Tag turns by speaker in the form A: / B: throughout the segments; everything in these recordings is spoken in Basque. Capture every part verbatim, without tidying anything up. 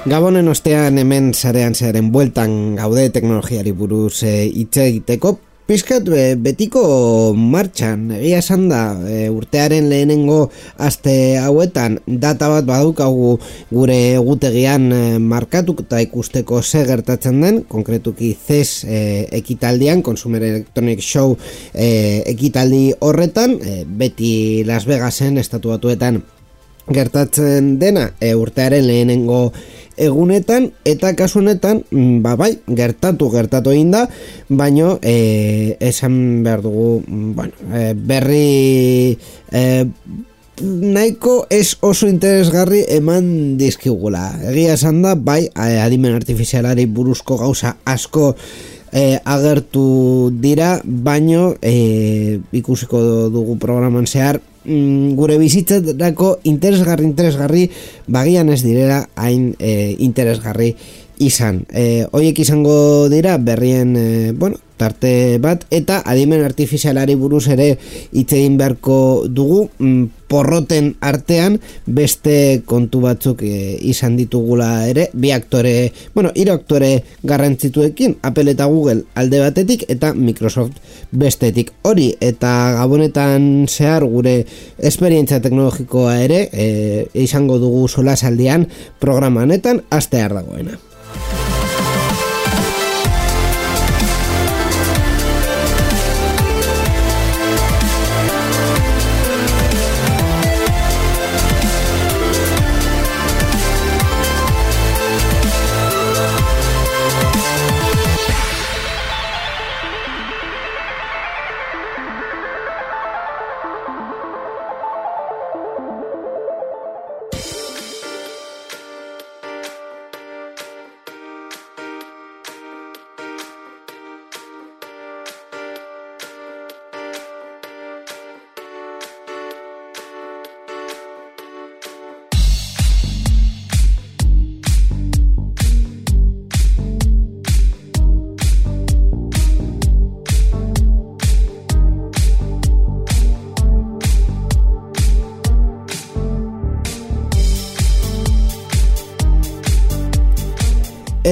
A: Gabonen ostean hemen sarean zearen bueltan gaude teknologiari buruz hitz e, egiteko. Pizkat be, betiko martxan, egia esan da, e, urtearen lehenengo aste hauetan data bat badaukagu gure egutegian e, markatuta ikusteko ze gertatzen den, konkretuki C E S e, ekitaldian, Consumer Electronic Show e, ekitaldi horretan, e, beti Las Vegasen, Estatu Batuetan gertatzen dena, e, urtearen lehenengo egunetan, eta kasu honetan, ba bai, gertatu gertatu egin da, baino e, esan behar dugu, bueno, e, berri e, nahiko ez oso interesgarri eman dizkigula. Egia esan da, bai, adimen artifizialari buruzko gauza asko e, agertu dira, baino e, ikusiko dugu programan zehar, gure bizitzarako interesgarri interesgarri bagian ez direla hain e, interesgarri izan. E, Hoiek izango dira berrien e, bueno, tarte bat, eta adimen artifizialari buruz ere hitz egin beharko dugu, mm, porroten artean beste kontu batzuk e, izan ditugula ere, bi aktore, bueno, hiru aktore garrantzituekin, Apple eta Google alde batetik eta Microsoft bestetik. Hori eta gabonetan zehar gure esperientzia teknologikoa ere e, izango dugu solasaldian programa honetan hastear dagoena.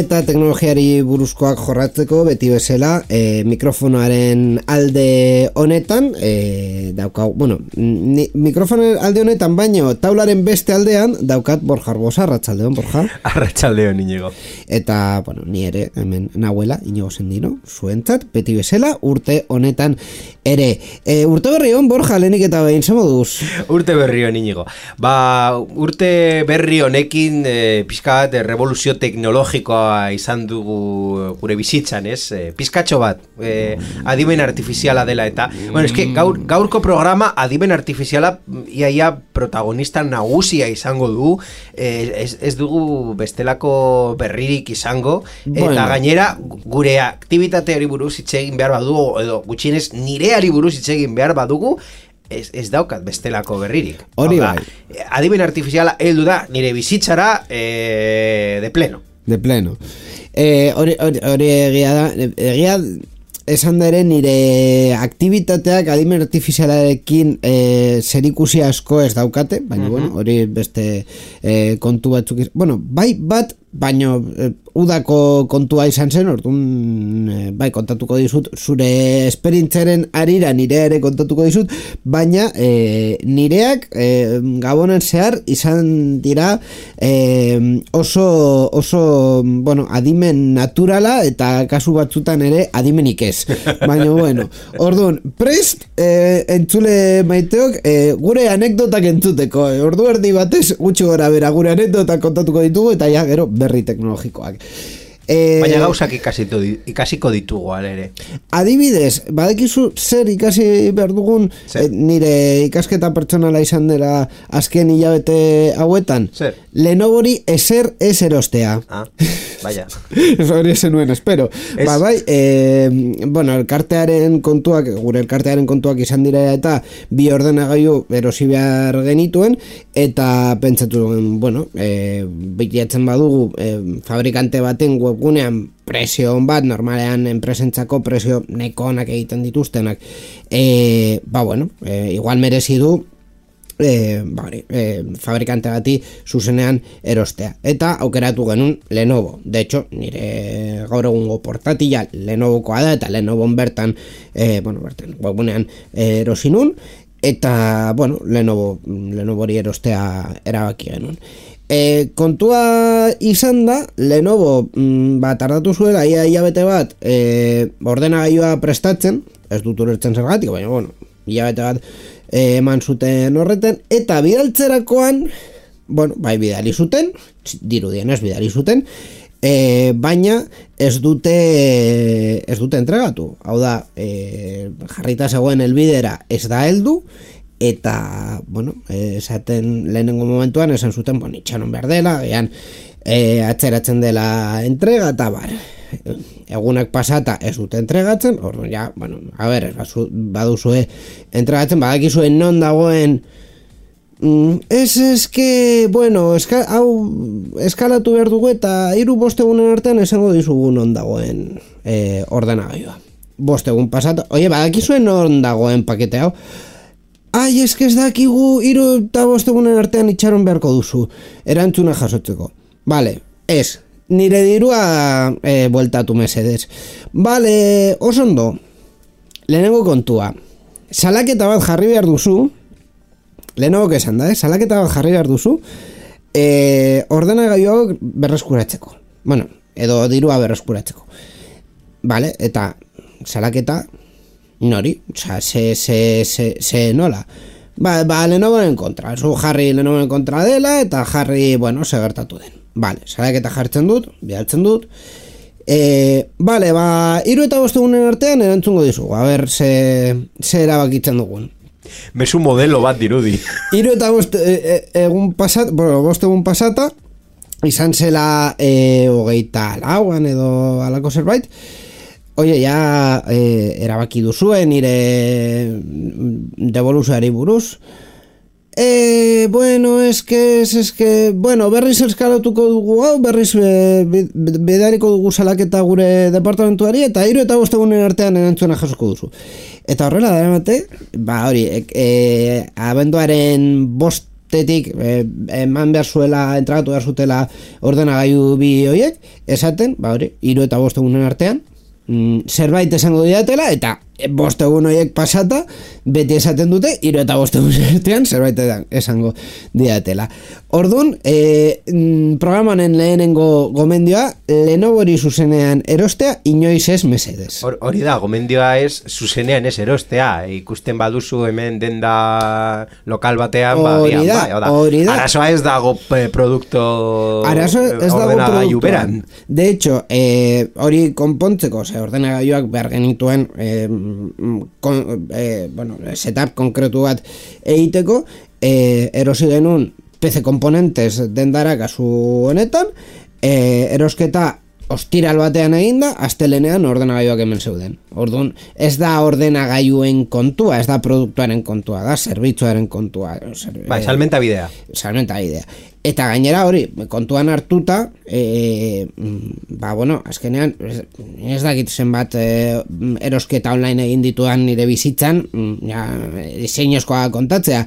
A: Eta teknologiari buruzkoak jorratzeko beti bezala e, mikrofonoaren alde honetan e, daukau, bueno, ni, mikrofonoaren alde honetan baino taularen beste aldean daukat Borja Arbosa. Arratsaldeon, Borja.
B: Arratsaldeon, Iñigo.
A: Eta, bueno, ni ere hemen nahuela, Iñigo Sendino, zuentzat, beti bezala urte honetan ere. E, urte berri hon, Borja, lehenik eta behin zemoduz?
B: Urte berri hon, Iñigo. Ba, urte berri honekin e, pixka bat revoluzio teknologikoa izan dugu gure bizitzan, ez? E, pizkatxo bat, e, adimen artifiziala dela eta, bueno, eske gaur, gaurko programa adimen artifiziala iaia protagonista nagusia izango du, e, ez, ez dugu bestelako berririk izango, eta bueno, gainera gure aktibitateari buruz hitz egin behar badugu, edo gutxienez nireari buruz hitz egin behar badugu, Ez, ez daukat bestelako berririk.
A: Hori bai.
B: Adimen artifiziala heldu da nire bizitzara e, de pleno.
A: De pleno. Eh, hori, hori, hori egia da, egia esan da ere nire aktibitateak adimen artifizialarekin eh, zerikusi asko ez daukate, baina uh-huh. bueno, hori beste eh, kontu batzuk, bueno, bai bat, baina eh, udako kontua izan zen, orduan e, bai kontatuko dizut, zure esperintzaren arira nire ere kontatuko dizut, baina e, nireak e, gabonen zehar izan dira e, oso, oso bueno, adimen naturala eta kasu batzutan ere adimenik ez. Baina bueno, orduan, prest e, entzule maiteok e, gure anekdotak entzuteko, e, ordu erdi batez gutxi gora bera gure anekdotak kontatuko ditugu eta ja gero berri teknologikoak.
B: Eh, Baina gauzak ikasito, ikasiko ditugu ere.
A: Adibidez, badekizu zer ikasi behar dugun e, nire ikasketa pertsonala izan dela azken hilabete hauetan?
B: Zer?
A: Lenovori eser ez erostea.
B: Ah, vaya.
A: Hori zenuen, espero. Es... Ba, bai, e, bueno, elkartearen kontuak, gure elkartearen kontuak izan dira eta bi ordenagailu erosi behar genituen, eta pentsatu, bueno, e, bilatzen badugu e, fabrikante baten webgunean presio on bat, normalean enpresentzako presio neko onak egiten dituztenak, e, ba, bueno, e, igual merezi du E, bari, e, fabrikante bati zuzenean erostea, eta aukeratu genuen Lenovo. De hecho, nire gaur egungo portatila Lenovokoa da, eta Lenovon bertan e, bueno, bertan webunean erosi nun, eta bueno, Lenovo Lenovori erostea erabaki genuen. E, kontua izan da, Lenovo mm, ba, tardatu zuela ia hilabete bat e, ordenagailua prestatzen, ez dut ulertzen zergatik, baina bueno, hilabete bat eman zuten horreten, eta bidaltzerakoan, bueno, bai bidali zuten, dirudien ez bidali zuten, e, baina ez dute ez dute entregatu. Hau da, e, jarrita zegoen helbidera ez da heldu, eta, bueno, esaten lehenengo momentuan esan zuten, bueno, itxaron behar dela, gehan, e, atzeratzen dela entrega, eta bar, egunak pasata ez dute entregatzen, orduan ja, bueno, a ber, baduzue entregatzen, badakizue non dagoen mm, ez eske, bueno, eska, hau eskalatu behar dugu eta hiru bostegunen artean esango dizugu non dagoen e, ordenagailua. Bostegun pasata, oie, badakizue non dagoen pakete hau, ai, eske ez dakigu hiru eta bostegunen artean itxaron beharko duzu, erantzuna jasotzeko. Vale, ez, nire dirua e, bueltatu mesedez. Vale, osondo, lehenengo kontua, salaketa bat jarri behar duzu, lehenengo esan da, eh? salaketa bat jarri behar duzu, e, ordenagailuak berreskuratzeko. Bueno, edo dirua berreskuratzeko. Vale, eta salaketa nori, oza, se, se, se, se nola. Ba, ba Lenovoren kontra, zu jarri Lenovoren kontra dela, eta jarri, bueno, segertatu den. Vale, salaketa jartzen dut, bidaltzen dut. E, vale, ba, hiru eta bostegunen artean erantzungo dizugu, a ber, ze, ze erabakitzen dugun.
B: Mezu modelo bat dirudi.
A: Hiru eta bost, e, e, egun pasat, bueno, bostegun pasata, izan zela e, hogeita lauan edo alako zerbait. Oie, ja e, erabaki duzue nire devoluzioari buruz. Eh, bueno, es que, es, es que, bueno, berriz eskalatuko dugu hau, berriz e, bidaliko dugu salaketa gure departamentuari, eta hiru eta bostegunen artean erantzuna jasoko duzu. Eta horrela da emate, ba hori, e, e, abenduaren bostetik e, eman behar zuela, entregatu behar zutela ordenagailu bi horiek, esaten, ba hori, hiru eta bostegunen artean, mm, zerbait esango diatela, eta bost egun horiek pasata, beti esaten dute, hiru eta bost egun artean zerbait esango diatela. Orduan, e, programanen lehenengo gomendioa, Lenovori zuzenean erostea, inoiz ez mesedez.
B: Hori da, gomendioa ez zuzenean ez erostea, ikusten baduzu hemen denda lokal batean, ba,
A: hori da,
B: ba,
A: hori da.
B: Arazoa ez dago produkto ordenagailu beran.
A: De hecho, eh, hori konpontzeko, ze ordenagailuak behar genituen eh, Kon, eh, bueno, setup konkretu bat egiteko, eh, erosi genuen P C komponentes dendara kasu honetan, eh, erosketa ostiral batean eginda, astelenean ordenagailuak hemen zeuden. Orduan, ez da ordenagailuen kontua, ez da produktuaren kontua, da zerbitzuaren kontua. Zer,
B: bai, salmenta bidea.
A: Salmenta bidea. Eta gainera hori, kontuan hartuta, e, ba, bueno, azkenean, ez, ez dakit zenbat e, erosketa online egin dituan nire bizitzan, ja, diseinozkoa kontatzea,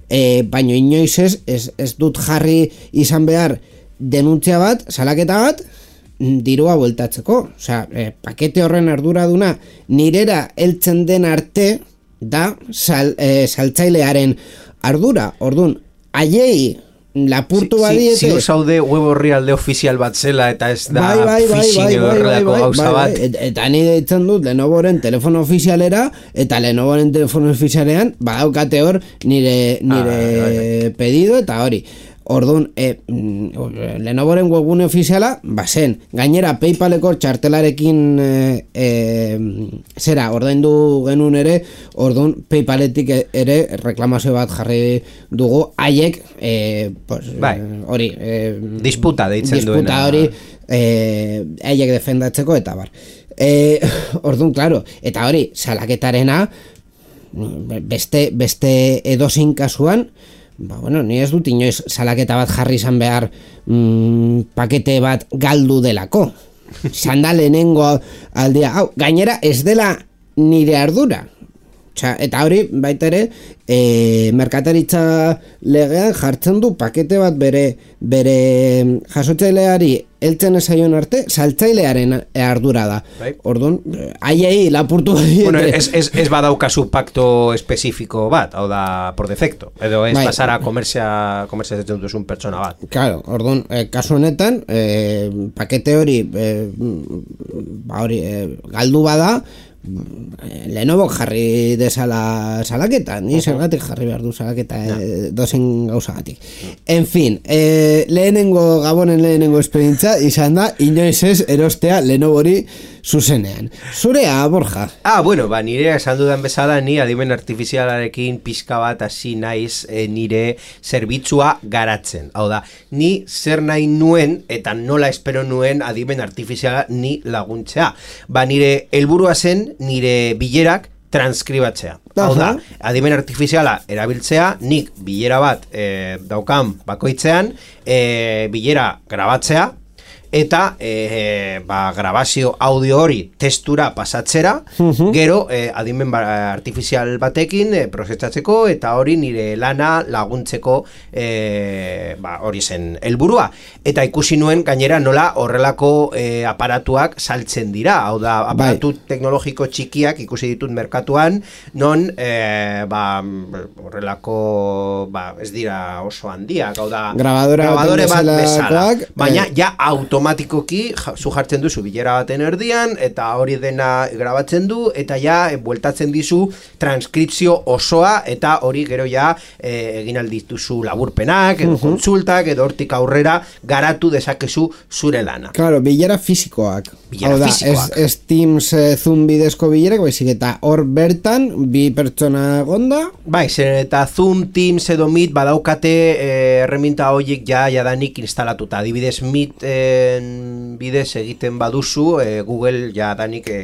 A: e, baino inoiz ez, ez, ez dut jarri izan behar denuntzia bat, salaketa bat, dirua bueltatzeko. Osea, e, pakete horren arduraduna nirera heltzen den arte da sal, e, saltzailearen ardura. Orduan, haiei lapurtu badiete.
B: Ziur zaude web horri alde ofizial bat zela eta ez da phishing horrelako gauza bat.
A: Eta nire ditzen dut Lenovoren telefono ofizialera, eta Lenovoren telefono ofizialean badaukate hor nire, nire ah, pedido eta hori. Orduan, e, mm, Lenovoren webgune ofiziala, bazen, gainera Paypaleko txartelarekin e, e, zera, ordaindu genuen ere, orduan Paypaletik ere reklamazio bat jarri dugu, haiek, e, pues,
B: bai.
A: hori, e,
B: disputa deitzen duena.
A: Disputa hori, e, haiek defendatzeko, eta bar. E, orduan, claro, eta hori, salaketarena, beste, beste edozein kasuan, ba, bueno, ni ez dut inoiz salaketa bat jarri izan behar mm, pakete bat galdu delako. Zanda lehenengo aldia. Hau, gainera ez dela nire ardura. Osea, eta hori baita ere e, merkataritza legean jartzen du pakete bat bere bere jasotzaileari heltzen ezaion arte saltzailearen ardura da. Bai. Orduan, haiei lapurtu
B: bueno, ez, ez, ez badaukazu pakto espezifiko bat, hau da por defecto, edo ez bai. Pasara komerzia komerzia zetzen duzun pertsona bat.
A: Claro, orduan, eh, kasu honetan eh, pakete hori eh, ba hori eh, galdu bada, Lenovo jarri desala salaketa, ni zergatik jarri behar du salaketa no. e, dozen gauzagatik. En fin, e, lehenengo gabonen lehenengo esperientza izan da inoiz ez erostea Lenovori zuzenean. Zurea, Borja?
B: Ah, bueno, ba, nire esan dudan bezala ni adimen artifizialarekin pixka bat hasi naiz e, nire zerbitzua garatzen. Hau da, ni zer nahi nuen eta nola espero nuen adimen artifiziala ni laguntzea. Ba, nire helburua zen nire bilerak transkribatzea. Hau da, adimen artifiziala erabiltzea, nik bilera bat e, daukan bakoitzean, e, bilera grabatzea, eta e, ba, grabazio audio hori testura pasatzera, uh-huh. gero e, adimen artifizial batekin e, prozesatzeko eta hori nire lana laguntzeko e, ba, hori zen helburua. Eta ikusi nuen gainera nola horrelako e, aparatuak saltzen dira, hau da, aparatu bai. Teknologiko txikiak ikusi ditut merkatuan, non e, ba, horrelako ba, ez dira oso handiak, hau da,
A: grabadora
B: grabadore bat bezala, baina
A: eh.
B: ja automatikoki automatikoki zu jartzen duzu bilera baten erdian eta hori dena grabatzen du eta ja e, bueltatzen dizu transkripzio osoa eta hori gero ja e, egin aldituzu laburpenak edo uh-huh. kontsultak edo hortik aurrera garatu dezakezu zure lana.
A: Claro, bilera fisikoak.
B: Bilera
A: da,
B: fisikoak.
A: Ez, ez Teams e, Zoom bidezko bilerak, baizik eta hor bertan bi pertsona gonda.
B: Bai, zer eta Zoom, Teams edo Meet badaukate e, erreminta horiek ja jadanik instalatuta. Adibidez Meet e, bidez egiten baduzu, e, Google jadanik e,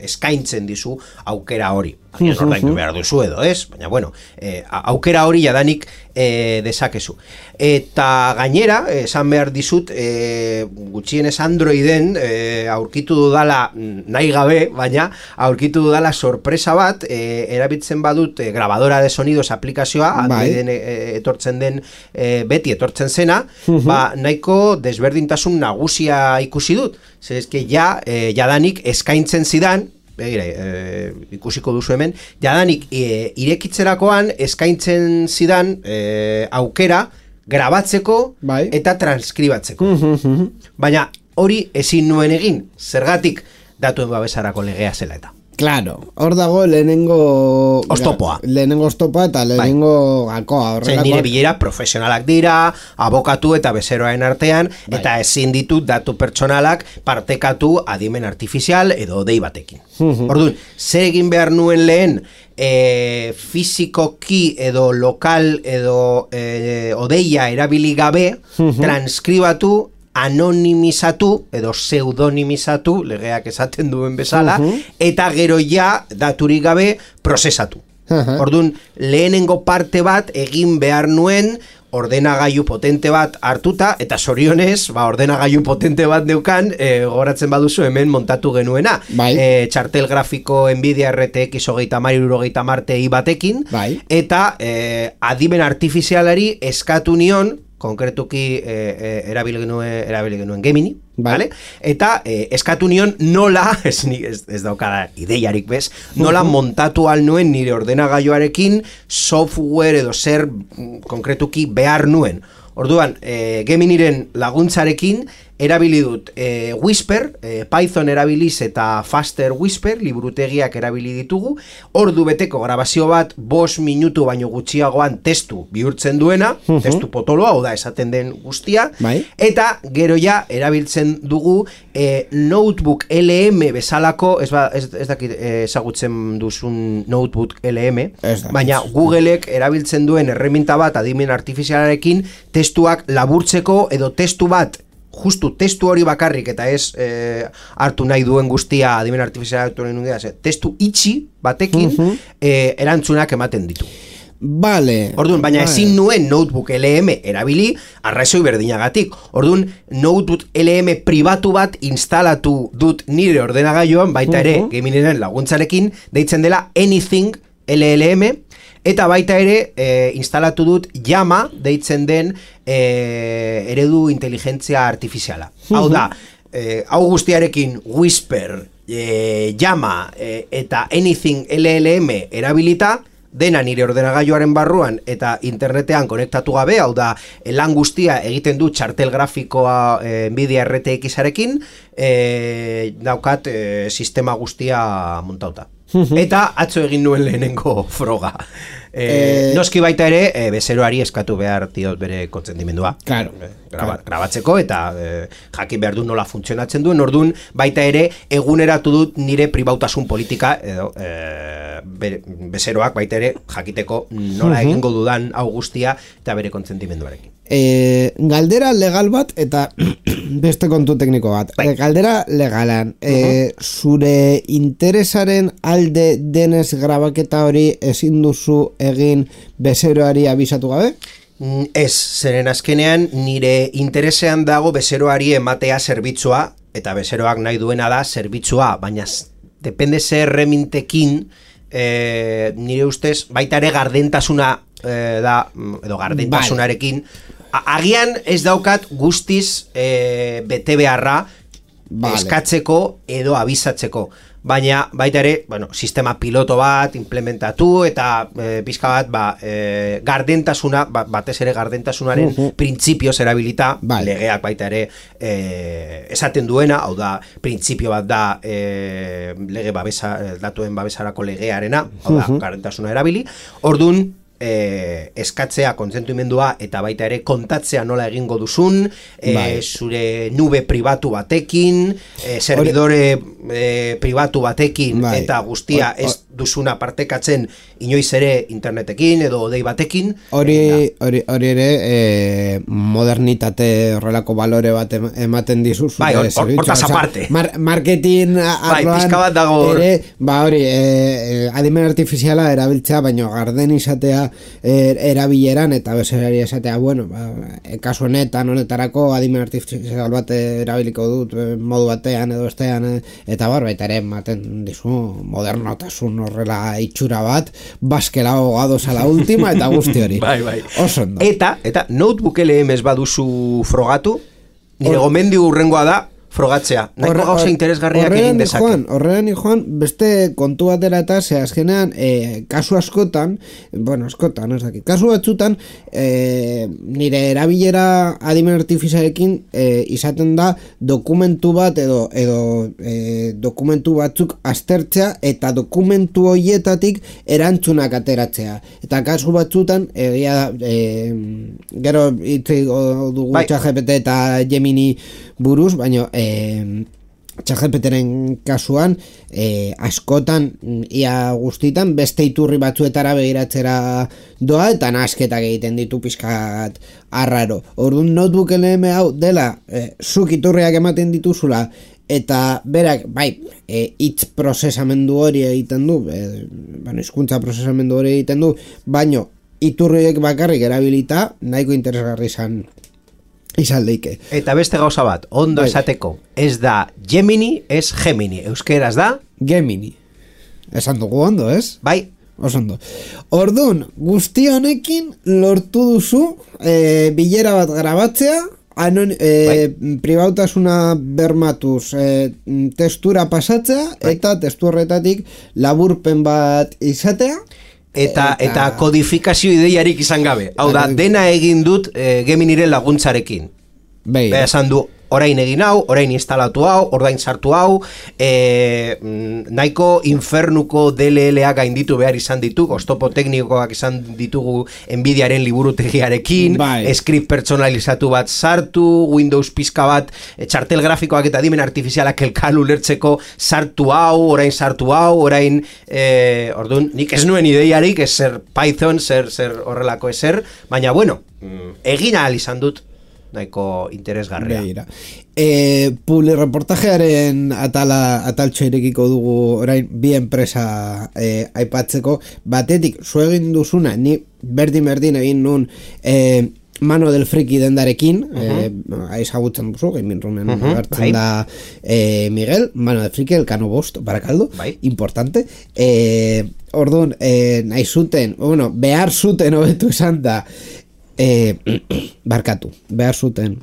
B: eskaintzen dizu aukera hori. Agian ordaindu behar duzu edo, ez? Baina, bueno, e, aukera hori jadanik e, dezakezu. Eta gainera, esan behar dizut, e, gutxienez Androiden e, aurkitu dudala nahi gabe, baina aurkitu dudala sorpresa bat, e, erabiltzen badut e, grabadora de sonidos aplikazioa, Androiden e, etortzen den, e, beti etortzen zena, uh-huh. ba, nahiko desberdintasun nagusia ikusi dut. Zer eske ja, e, jadanik eskaintzen zidan, begira, e, ikusiko duzu hemen, jadanik e, irekitzerakoan eskaintzen zidan e, aukera grabatzeko bai. Eta transkribatzeko. Uh-huh. Baina hori ezin nuen egin, zergatik datuen babesarako legea zela eta.
A: Claro, hor dago lehenengo
B: oztopoa.
A: Lehenengo oztopoa eta lehenengo bai. Gakoa.
B: Zer nire bilera profesionalak dira, abokatu eta bezeroaren artean, bai. Eta ezin ditu datu pertsonalak partekatu adimen artifizial edo dei batekin. Uh-huh. Orduan, zer egin behar nuen lehen e, fizikoki edo lokal edo e, odeia erabili gabe, uh-huh. transkribatu, anonimizatu edo pseudonimizatu, legeak esaten duen bezala, uh-huh. eta gero ja daturik gabe prozesatu. Uh-huh. Orduan, lehenengo parte bat egin behar nuen ordenagailu potente bat hartuta, eta zorionez, ba, ordenagailu potente bat neukan, e, goratzen baduzu hemen montatu genuena. Bai. E, txartel grafiko Nvidia R T X hogeita hamar hirurogeita hamar Ti batekin, bai. Eta e, adimen artifizialari eskatu nion, konkretuki e, e, erabili genuen, erabili genuen Gemini, vale? Eta e, eskatu nion nola, ez, ez, ez daukada ideiarik bez, nola uh-huh. montatu al nuen nire ordenagailuarekin software edo zer konkretuki behar nuen. Orduan, e, Geminiren laguntzarekin erabili dut e, Whisper, e, Python erabiliz eta Faster Whisper, liburutegiak erabili ditugu, ordu beteko grabazio bat, bost minutu baino gutxiagoan testu bihurtzen duena, uh-huh. testu potoloa, oda esaten den guztia,
A: bai.
B: Eta gero ja erabiltzen dugu e, Notebook L M bezalako, ez, ba, ez, ez dakit ezagutzen duzun Notebook L M, baina Googleek erabiltzen duen erreminta bat adimen artifizialarekin testuak laburtzeko edo testu bat justu testu hori bakarrik eta ez eh, hartu nahi duen guztia adimen artifizialaren undia, testu itxi batekin uh-huh. eh, erantzunak ematen ditu.
A: Vale.
B: Orduan, baina vale. Ezin nuen Notebook L M erabili arrazoi berdinagatik. Orduan, Notebook L M pribatu bat instalatu dut nire ordenagailuan, baita ere, uh-huh. Geminiren laguntzarekin, deitzen dela Anything L L M, eta baita ere e, instalatu dut Llama deitzen den e, eredu inteligentzia artifiziala. Uh-huh. Hau da, e, hau guztiarekin Whisper, e, Llama e, eta Anything L L M erabilita, dena nire ordenagailuaren barruan eta internetean konektatu gabe, hau da, lan guztia egiten du txartel grafikoa e, Nvidia R T X-arekin, e, daukat e, sistema guztia montauta. Eta atzo egin nuen lehenengo froga. E, e... Noski baita ere, e, bezeroari eskatu behar diot bere kontzendimendua.
A: Claro,
B: e, graba, claro. Grabatzeko eta e, jakin behar du nola funtzionatzen duen, orduan baita ere eguneratu dut nire pribautasun politika edo e, bere, bezeroak baita ere jakiteko nola uh-huh. egingo dudan hau guztia eta bere kontzentimenduarekin.
A: E, galdera legal bat eta beste kontu tekniko bat. Bai. Galdera legalan, uh-huh. e, zure interesaren alde denez grabaketa hori ezin duzu egin bezeroari abisatu gabe?
B: Ez, zeren azkenean nire interesean dago bezeroari ematea zerbitzua, eta bezeroak nahi duena da zerbitzua, baina depende zer remintekin, e, nire ustez baita ere gardentasuna e, da, edo gardentasunarekin, agian ez daukat guztiz e, bete beharra vale. Eskatzeko edo abisatzeko. Baina baita ere, bueno, sistema piloto bat implementatu eta e, pizka bat ba, e, gardentasuna, ba, batez ere gardentasunaren uh-huh. printzipioz erabilita, vale. Legeak baita ere e, esaten duena, hau da, printzipio bat da e, lege babesa, datuen babesarako legearena, hau da, uh-huh. gardentasuna erabili. Ordun E, eskatzea, kontsentimendua eta baita ere kontatzea nola egingo duzun, e, bai. Zure nube pribatu batekin, e, servidore e, pribatu batekin bai. Eta guztia or, or, ez duzuna partekatzen inoiz ere internetekin edo odei batekin.
A: Hori hori hori ere e, modernitate horrelako balore bat ematen dizu.
B: Bai, hortaz aparte.
A: Mar, marketing
B: bai, pizka bat dago
A: ere, ba hori, e, adimen artifiziala erabiltzea, baino garden izatea Er, erabileran eta bezerari esatea, bueno, ba, kasu honetan honetarako adimen artifizial bat erabiliko dut modu batean edo bestean, eta bar, baita ere ematen dizu modernotasun horrela itxura bat, baskela hogado la última eta guzti hori.
B: Bai, bai.
A: Oso ondo.
B: Eta, eta Notebook L M ez baduzu frogatu, nire Or... gomendio urrengoa da, frogatzea. Nahiko gauza interesgarriak egin dezake.
A: Horrean, Juan, beste kontu batera eta ze azkenean, e, kasu askotan, bueno, askotan, ez dakit, kasu batzutan, e, nire erabilera adimen artifizialekin e, izaten da dokumentu bat edo, edo e, dokumentu batzuk aztertzea eta dokumentu horietatik erantzunak ateratzea. Eta kasu batzutan, egia e, gero hitz dugu bai. ChatGPT eta Gemini buruz, baina e, ChatGPTren kasuan e, askotan ia guztitan beste iturri batzuetara begiratzera doa eta nasketak egiten ditu pizkat arraro. Orduan Notebook L M hau dela e, zuk iturriak ematen dituzula eta berak bai e, hitz prozesamendu hori egiten du, e, bueno, hizkuntza prozesamendu hori egiten du, baino iturriek bakarrik erabilita nahiko interesgarri izan izan leike.
B: Eta beste gauza bat, ondo bai. Esateko, ez da Gemini, ez Gemini. Euskeraz da?
A: Gemini. Esan dugu ondo, ez?
B: Bai.
A: Osondo. Orduan, guzti honekin lortu duzu e, bilera bat grabatzea, anon, e, bai. Pribautasuna bermatuz e, testura pasatzea, bai. Eta testu horretatik laburpen bat izatea,
B: Eta, eta eta kodifikazio ideiarik izan gabe. Hau da, dena egin dut e, Geminiren laguntzarekin.
A: Bai.
B: Beha esan du, orain egin hau, orain instalatu hau, orain sartu hau, e, nahiko infernuko D L L-a gainditu behar izan ditu, oztopo teknikoak izan ditugu Nvidiaren liburutegiarekin, bai. Script personalizatu bat sartu, Windows pizka bat, txartel grafikoak eta adimen artifizialak elkan ulertzeko sartu hau, orain sartu hau, orain, e, orduan, nik ez nuen ideiarik, ez zer Python, zer, zer horrelako ezer, baina bueno, egin ahal izan dut, nahiko interesgarria.
A: Beira. E, publi reportajearen atala, ataltxo irekiko dugu orain bi enpresa e, aipatzeko, batetik zu egin duzuna, ni berdin-berdin egin nun e, Mano del Friki dendarekin, uh-huh. eh, ezagutzen duzu, Gaming Roomen uh-huh. hartzen da eh, Miguel, Mano del Friki, Elkano Bost, Barakaldo, bai. Importante. Eh, orduan, eh, nahi zuten, bueno, behar zuten hobetu esan da, eh, barkatu, behar zuten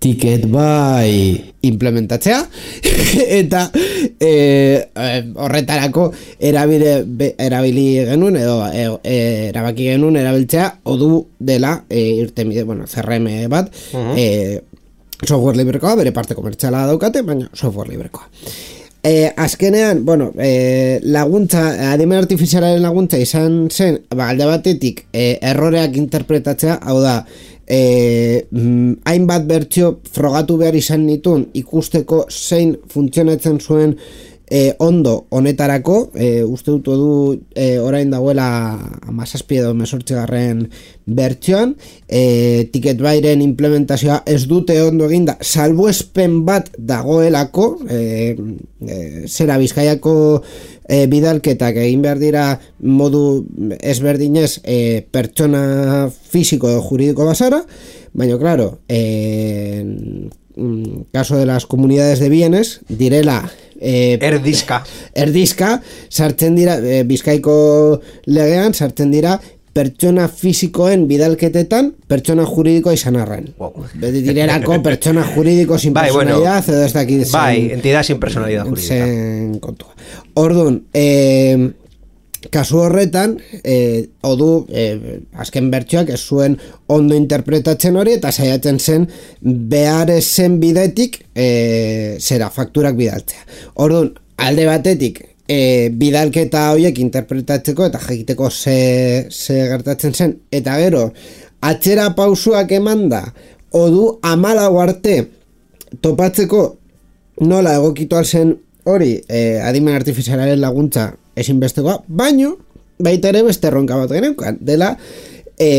A: Ticket Buy implementatzea eta e, horretarako erabile, be, erabili genuen edo e, e, erabaki genuen erabiltzea Odoo dela e, irtenbide, bueno, C R M bat uh-huh. e, software librekoa, bere parte komertziala daukate, baina software librekoa. E, azkenean, bueno, e, laguntza, adimen artifizialaren laguntza izan zen, ba, alde batetik e, erroreak interpretatzea, hau da, E, mm, hainbat bertsio frogatu behar izan nituen ikusteko zein funtzionatzen zuen e, ondo honetarako, e, uste dut du e, orain dagoela hamazazpi edo hemezortzigarren bertsioan, e, Ticket Buyren implementazioa ez dute ondo eginda, salbuespen bat dagoelako, e, e, zera Bizkaiako E, bidalketak egin behar dira modu ezberdinez e, pertsona fisiko edo juridiko basara, baina claro, en caso de las comunidades de bienes direla e,
B: erdizka
A: erdizka sartzen dira e, Bizkaiko legean sartzen dira pertsona fisikoen bidalketetan pertsona juridikoa izan arren. Wow. Beti direlako pertsona juridiko sin bai, personalidad bueno, edo ez dakit zen,
B: bai, entidad sin personalidad jurídica.
A: Zen kontua. Orduan, eh, kasu horretan, eh, Odoo, eh, azken bertsioak ez zuen ondo interpretatzen hori eta saiatzen zen behar zen bidetik eh, zera, fakturak bidaltzea. Orduan, alde batetik, E, bidalketa horiek interpretatzeko eta jakiteko ze, ze gertatzen zen, eta gero atzera pausuak emanda Odoo amalau arte topatzeko nola egokitu alzen hori e, adimen artifizialaren laguntza ezinbestekoa, baino baita ere beste erronka bat geneukan dela e,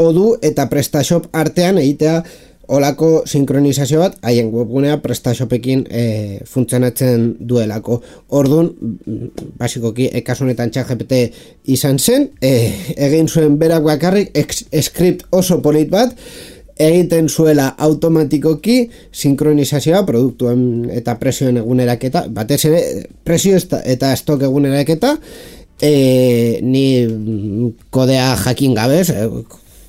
A: Odoo eta PrestaShop artean egitea olako sinkronizazio bat haien webgunea PrestaShopekin e, funtzionatzen duelako. Orduan, basikoki, ekasunetan ChatGPT izan zen, e, egin zuen berak bakarrik ex, script oso polit bat, egiten zuela automatikoki sinkronizazioa produktuen eta presioen eguneraketa, batez ere presio eta estok eguneraketa, e, ni kodea jakin gabez, e,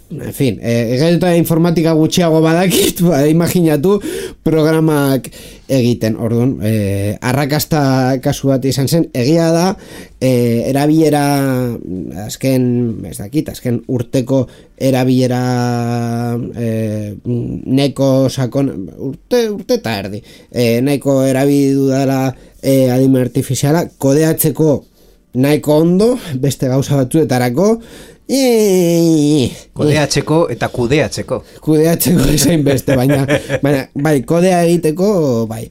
A: en fin, egetuta eh, informatika gutxiago badakit, ba, imaginatu programak egiten, orduan, eh, arrakasta kasu bat izan zen, egia da, eh, erabilera, azken, ez dakit, azken urteko erabilera eh, neko sakon, urte, urte eta erdi, eh, neko erabildu dela eh, adimen artifiziala, kodeatzeko nahiko ondo, beste gauza batzuetarako,
B: Eee, kodeatzeko eta kudeatzeko
A: kudeatzeko esain beste, baina, baina bai, kodea egiteko bai.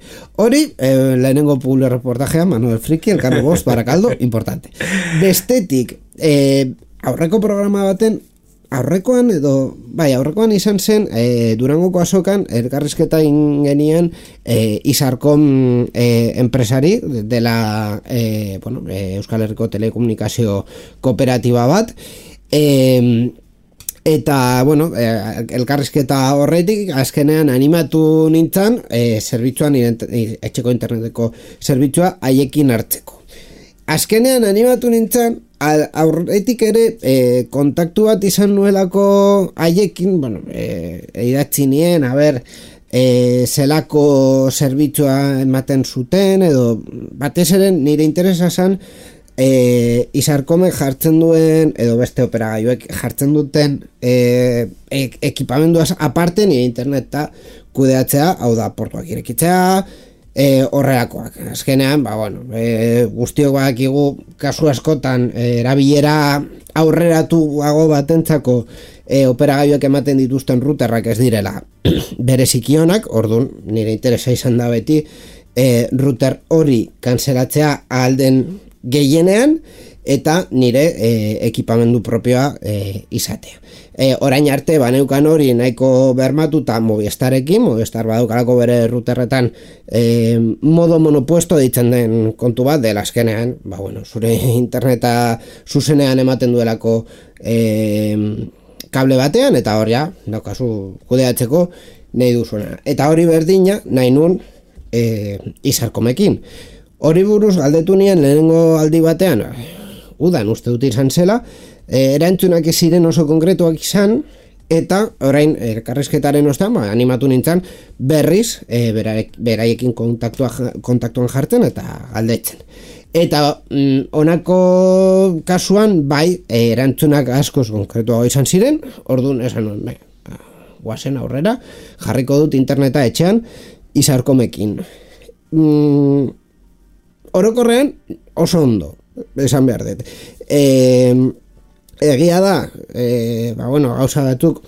A: Hori, eh, lehenengo publi reportajea Mano del Friki, Elkano Bost, Barakaldo, importante. Bestetik, eh, aurreko programa baten aurrekoan edo, bai, aurrekoan izan zen e, Durangoko azokan elkarrizketa ingenian e, Izarkom e, enpresari dela e, bueno, e, Euskal Herriko telekomunikazio kooperatiba bat, e, eta bueno, e, elkarrizketa horretik azkenean animatu nintzen e, zerbitzuan, etxeko interneteko zerbitzua haiekin hartzeko. Azkenean animatu nintzen, aurretik ere e, kontaktu bat izan nuelako haiekin, bueno, e, idatzi nien, a ber, e, zelako zerbitzua ematen zuten, edo batez ere nire interesa zen e, Izarkomek jartzen duen, edo beste operagailuek jartzen duten e, e, ekipamenduaz aparte nire interneta kudeatzea, hau da, portuak irekitzea, e, horrelakoak. Azkenean, ba, bueno, e, guztiok badakigu kasu askotan e, erabilera aurreratuago batentzako e, operagailuak ematen dituzten routerrak ez direla bereziki onak, orduan nire interesa izan da beti e, router hori kanzelatzea ahal den gehienean eta nire e, ekipamendu propioa e, izatea. E, orain arte baneukan hori nahiko bermatuta Movistarekin, Movistar badaukalako bere routerretan e, modo monopuesto deitzen den kontu bat, dela azkenean, ba bueno, zure interneta zuzenean ematen duelako e, kable batean, eta hor ja, daukazu kudeatzeko nahi duzuna. Eta hori berdina, nahi nun e, Izarkomekin. Hori buruz galdetu nien lehenengo aldi batean, udan uste dut izan zela, E, erantzunak ez ziren oso konkretuak izan, eta orain elkarrizketaren ostean ba, animatu nintzen berriz e, beraek, beraiekin kontaktuan jartzen eta galdetzen. Eta mm, honako kasuan bai e, erantzunak askoz konkretuago izan ziren, orduan esan nuen, bai, guazen aurrera, jarriko dut interneta etxean Izarkomekin. Mm, orokorrean oso ondo, esan behar dut. E, Egia da, e, ba bueno, gauza batzuk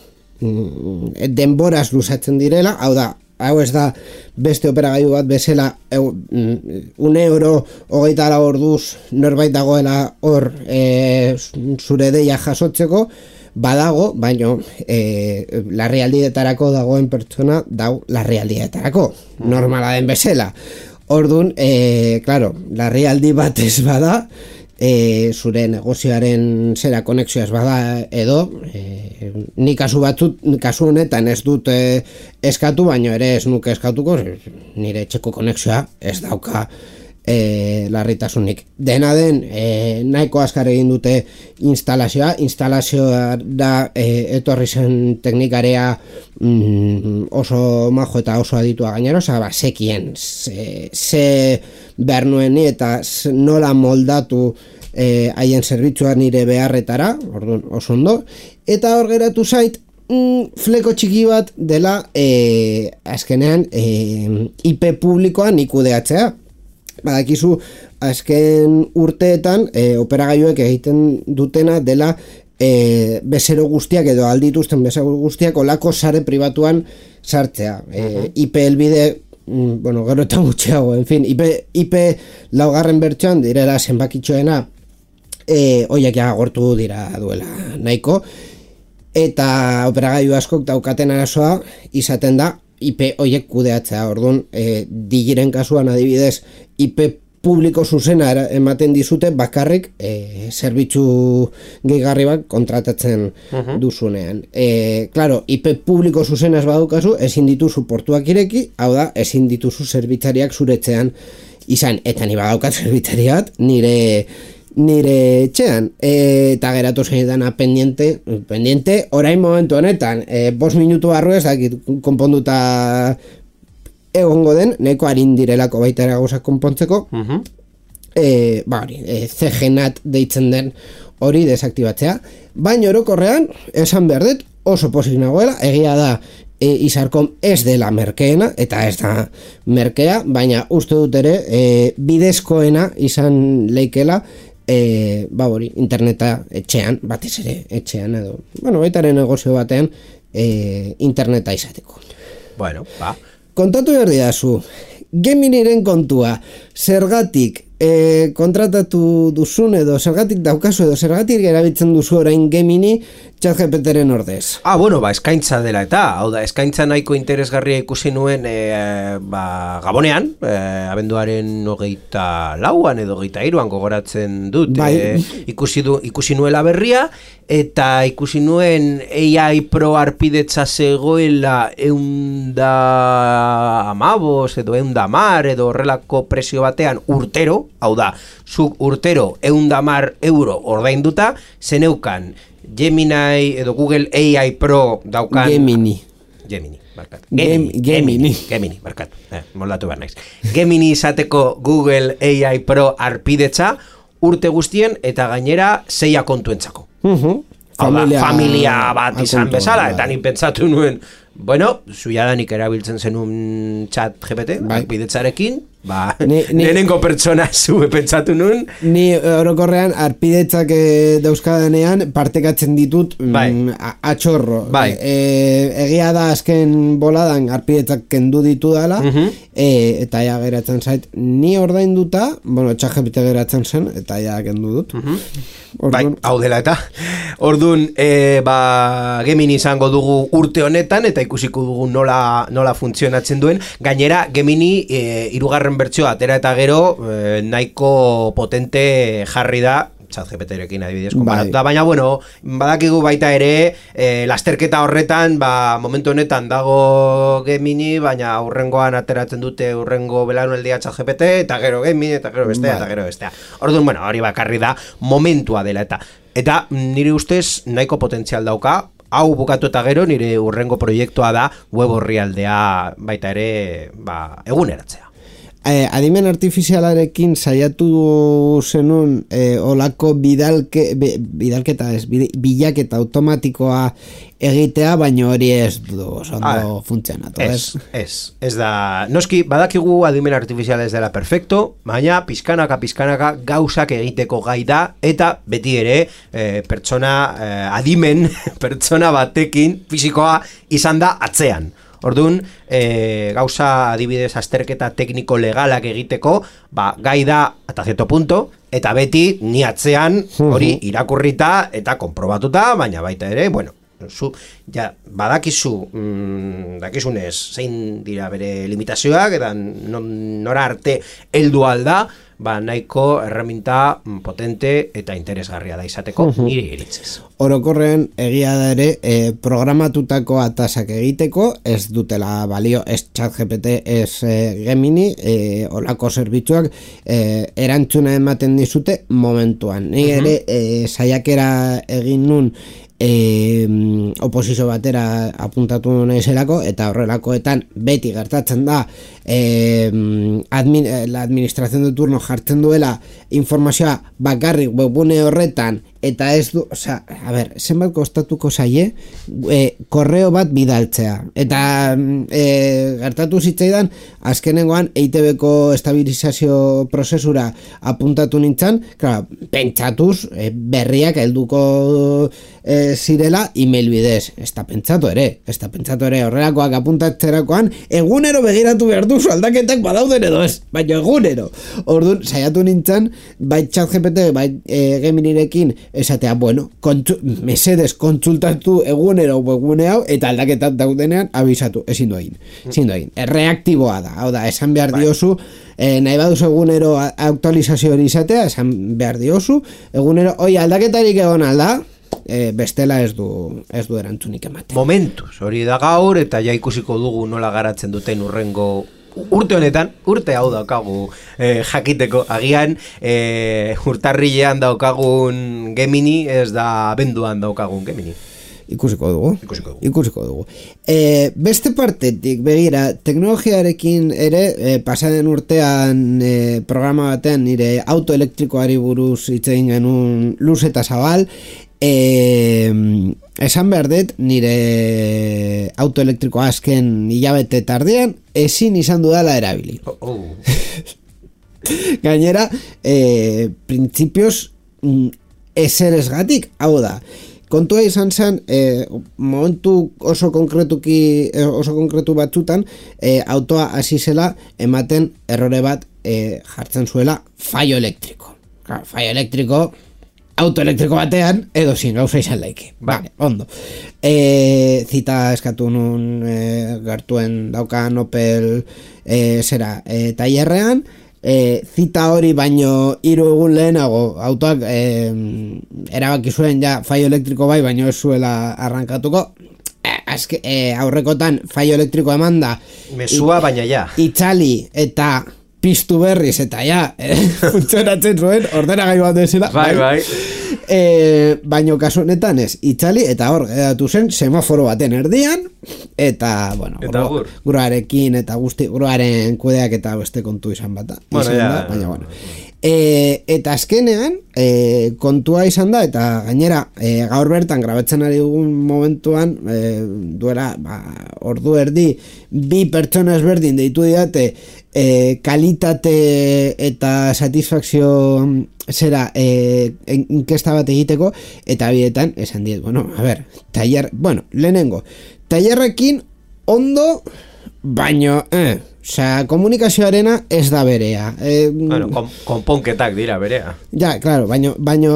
A: mm, denboraz luzatzen direla, hau da, hau ez da beste operagailu bat bezala e, un euro hogeita lau orduz norbait dagoela hor e, zure deia jasotzeko, badago, baino e, larrialdietarako dagoen pertsona dau larrialdietarako, normala den bezala. Orduan, e, claro, larrialdi bat ez bada, E, zure negozioaren zera konexioaz bada edo e, ni kasu batzut, kasu honetan ez dut e, eskatu, baino ere ez nuke eskatuko, nire etxeko konexioa ez dauka e, larritasunik. Dena den, e, nahiko azkar egin dute instalazioa, instalazioa da e, etorri zen teknikarea mm, oso majo eta oso aditua gainera, oza, ba, sekien ze, ze behar nueni eta nola moldatu eh, haien zerbitzua nire beharretara, orduan oso ondo, eta hor geratu zait mm, fleko txiki bat dela eh, azkenean eh, I P publikoan ikudeatzea. Badakizu azken urteetan eh, operagailuek egiten dutena dela E, bezero guztiak edo aldituzten bezero guztiak olako sare pribatuan sartzea. E, uh-huh. I P helbide, mm, bueno, gero eta gutxiago, en fin, I P, I P laugarren bertsoan direla zenbakitxoena, e, oiek ja gortu dira duela nahiko, eta operagailu askok daukaten arazoa izaten da I P oiek kudeatzea. Orduan, e, digiren kasuan adibidez, I P publiko zuzena ematen dizute bakarrik e, zerbitzu gehigarri bat kontratatzen uh-huh. duzunean. E, claro, I P publiko zuzena ez badukazu, ezin dituzu portuak ireki, hau da, ezin dituzu zerbitzariak zuretzean izan, eta ni badaukat zerbitzariat nire nire etxean, e, eta geratu zeidana pendiente, pendiente, orain momentu honetan, e, bost minutu barru ez dakit konponduta egongo den, neko harin direlako baita ere gauzak konpontzeko, uh-huh. e, ba hori, e, C G N A T deitzen den hori desaktibatzea, baina orokorrean, esan behar dut, oso pozik nagoela, egia da, e, Izarkom ez dela merkeena, eta ez da merkea, baina uste dut ere, e, bidezkoena izan leikela, e, ba hori, interneta etxean, batez ere etxean, edo, bueno, baita ere negozio batean, e, interneta izateko.
B: Bueno, ba,
A: kontatu behar didazu, Geminiren kontua, zergatik e, kontratatu duzun edo zergatik daukazu edo zergatik erabiltzen duzu orain Gemini ChatGPTren ordez.
B: Ah, bueno, ba, eskaintza dela eta, hau da, eskaintza nahiko interesgarria ikusi nuen e, ba, Gabonean, e, abenduaren hogeita lauan edo hogeita hiruan gogoratzen dut, bai. e, ikusi, du, ikusi nuela berria, eta ikusi nuen A I Pro arpidetza zegoela eunda amabos edo eunda mar edo horrelako presio batean urtero, hau da, zuk urtero eunda mar euro ordainduta, zeneukan Gemini edo Google A I Pro daukan...
A: Gemini.
B: Gemini, barkatu.
A: Gemini.
B: Gemini, Gemini, barkatu. Eh, moldatu behar naiz. Gemini izateko Google A I Pro arpidetza urte guztien eta gainera zeia kontuentzako.
A: Uh-huh.
B: Familia, familia bat izan bezala, eta ni pentsatu nuen, Bueno, zuiadanik erabiltzen zenun chat G P T, bai. Arpidetzarekin, ba,
A: ni, ni,
B: lehenengo pertsona zu pentsatu nun.
A: Ni orokorrean arpidetzak e, dauzkadanean partekatzen ditut bai. mm, atxorro.
B: Bai.
A: E, egia da azken boladan arpidetzak kendu ditu dala, uh-huh. e, eta ja geratzen zait, ni ordainduta, bueno, chat G P T geratzen zen, eta ja kendu dut.
B: Uh-huh. Bai, hau dela eta. Orduan, e, ba, Gemini izango dugu urte honetan, eta ikusiko dugu nola, nola funtzionatzen duen. Gainera, Gemini e, irugarren bertsioa atera eta gero e, nahiko potente jarri da ChatGPTrekin adibidez konparatuta, bai. Baina bueno, badakigu baita ere e, lasterketa horretan, ba, momentu honetan dago Gemini, baina urrengoan ateratzen dute urrengo belaunaldia ChatGPT, eta gero Gemini, eta gero bestea, bai. Eta gero bestea. Orduan, bueno, hori bakarri da momentua dela eta eta nire ustez nahiko potentzial dauka. Hau bukatu eta gero nire urrengo proiektua da web orrialdea baita ere ba, eguneratzea.
A: Eh, adimen artifizialarekin saiatu zenun eh, olako bidalke, bidalketa ez, bilaketa automatikoa egitea, baina hori ez du ondo funtzionatu.
B: Ez, ez, ez da, noski badakigu adimen artifiziala ez dela perfecto, baina pizkanaka, pizkanaka gauzak egiteko gai da, eta beti ere eh, pertsona eh, adimen, pertsona batekin fisikoa izan da atzean. Orduan, e, gauza adibidez azterketa tekniko legalak egiteko, ba, gai da eta zerto punto, eta beti ni atzean hori irakurrita eta konprobatuta, baina baita ere, bueno, zu, ja, badakizu, mm, dakizunez, zein dira bere limitazioak, eta nora arte heldu alda, ba, nahiko erreminta potente eta interesgarria da izateko uh-huh. nire iritzez.
A: Orokorrean egia da ere e, programatutako atasak egiteko ez dutela balio, ez ChatGPT, ez e, Gemini, e, olako zerbitzuak e, erantzuna ematen dizute momentuan. Ni ere uh-huh. e, saiakera egin nun E, oposizio batera apuntatu naizelako eta horrelakoetan beti gertatzen da e, admin, la administración de turno jartzen duela informazioa bakarrik webgune horretan eta ez du, osea, a ber, zenbat kostatuko zaie e, korreo bat bidaltzea eta e, gertatu zitzaidan azkenengoan E I T Bko estabilizazio prozesura apuntatu nintzen, claro, pentsatuz e, berriak helduko e, zirela email bidez, ez da pentsatu ere, ez da pentsatu ere horrelakoak apuntatzerakoan egunero begiratu behar duzu aldaketak badauden edo ez, baina egunero. Orduan, saiatu nintzen, bai ChatGPT, bai e, Geminirekin esatea, bueno, kontsu, mesedes kontsultatu egunero webgune hau eta aldaketak daudenean abisatu, ezin du egin, ezin du egin. Reaktiboa da, hau da, esan behar diozu, eh, nahi baduzu egunero aktualizazio hori izatea, esan behar diozu, egunero, oi, aldaketarik egon alda, e, bestela ez du ez du erantzunik ematen.
B: Momentuz, hori da gaur eta ja ikusiko dugu nola garatzen duten urrengo urte honetan, urte hau daukagu eh, jakiteko, agian eh, urtarrilean daukagun Gemini ez da abenduan daukagun Gemini.
A: Ikusiko dugu.
B: Ikusiko dugu.
A: Ikusiko dugu. E, beste partetik, begira, teknologiarekin ere, e, pasaden urtean e, programa batean nire auto elektrikoari buruz hitz egin genuen luz eta zabal, e, esan behar dut, nire auto elektrikoa azken hilabete tardean, ezin izan dudala erabili.
B: Oh, oh.
A: Gainera, e, printzipioz, ezeresgatik, hau da, kontua izan zen, eh, momentu oso konkretuki oso konkretu batzutan eh, autoa hasi zela ematen errore bat eh, jartzen zuela fallo elektriko. Claro, fallo elektriko auto elektriko batean edo zin gauza izan laike.
B: Ba.
A: Vale, ondo. Eh, zita eskatu nun eh, gertuen daukan Opel eh, zera eh, tailerrean. E, zita hori baino hiru egun lehenago autoak e, erabaki zuen ja fallo elektriko bai baino ez zuela arrankatuko e, azke, e, aurrekotan fallo elektriko emanda
B: mesua baina ja
A: itzali eta piztu berriz eta ja e, funtzionatzen zuen ordenagailu bat desela
B: bai bai
A: e, baino kasu honetan ez itzali eta hor geratu zen semaforo baten erdian eta bueno
B: eta
A: gru, gruarekin eta guzti gruaren kudeak eta beste kontu izan bata
B: bueno,
A: izan
B: ja,
A: da, baina bueno E, eta azkenean e, kontua izan da, eta gainera e, gaur bertan grabatzen ari dugun momentuan e, duela ba, ordu erdi bi pertsona ezberdin deitu didate e, kalitate eta satisfakzio zera e, inkesta bat egiteko, eta bietan esan diet, bueno, a ver, tailer, bueno, lehenengo tailerrekin ondo, baino eh, osea, komunikazioarena ez da berea. Eh,
B: bueno, kon, konponketak dira berea.
A: Ja, claro, baino, baino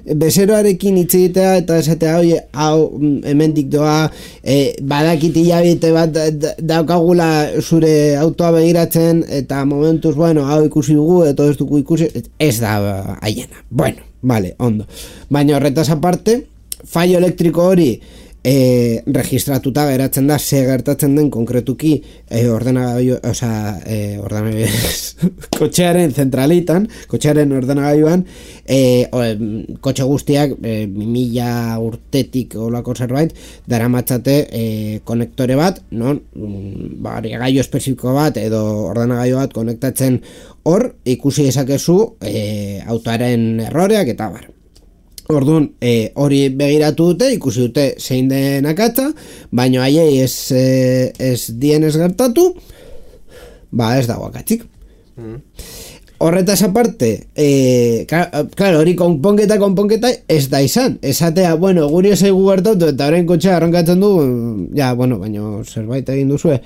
A: bezeroarekin hitz egitea eta esatea, oie, hau hemendik doa, eh, badakit hilabete bat daukagula zure autoa begiratzen, eta momentuz, bueno, hau ikusi dugu, eta ez dugu ikusi, ez da haiena. Bueno, vale, ondo. Baina horretaz aparte, fallo elektriko hori E, registratuta geratzen da ze gertatzen den konkretuki e, ordenagailu, osea, e, ordenagailu kotxearen zentralitan, kotxearen ordenagailuan e, o, kotxe guztiak e, mila urtetik olako zerbait daramatzate e, konektore bat, non ba, gailu espezifiko bat edo ordenagailu bat konektatzen hor, ikusi dezakezu e, autoaren erroreak eta bar. Orduan, e, hori begiratu dute, ikusi dute zein den akatza, baino haiei ez, e, ez dien ez gertatu, ba ez dago akatzik. Mm. Horretaz aparte, e, claro, hori konponketa, konponketa ez da izan. Esatea, bueno, guri ezaigu gertatu eta horrein kotxea arrankatzen du, ja, bueno, baino zerbait egin duzue.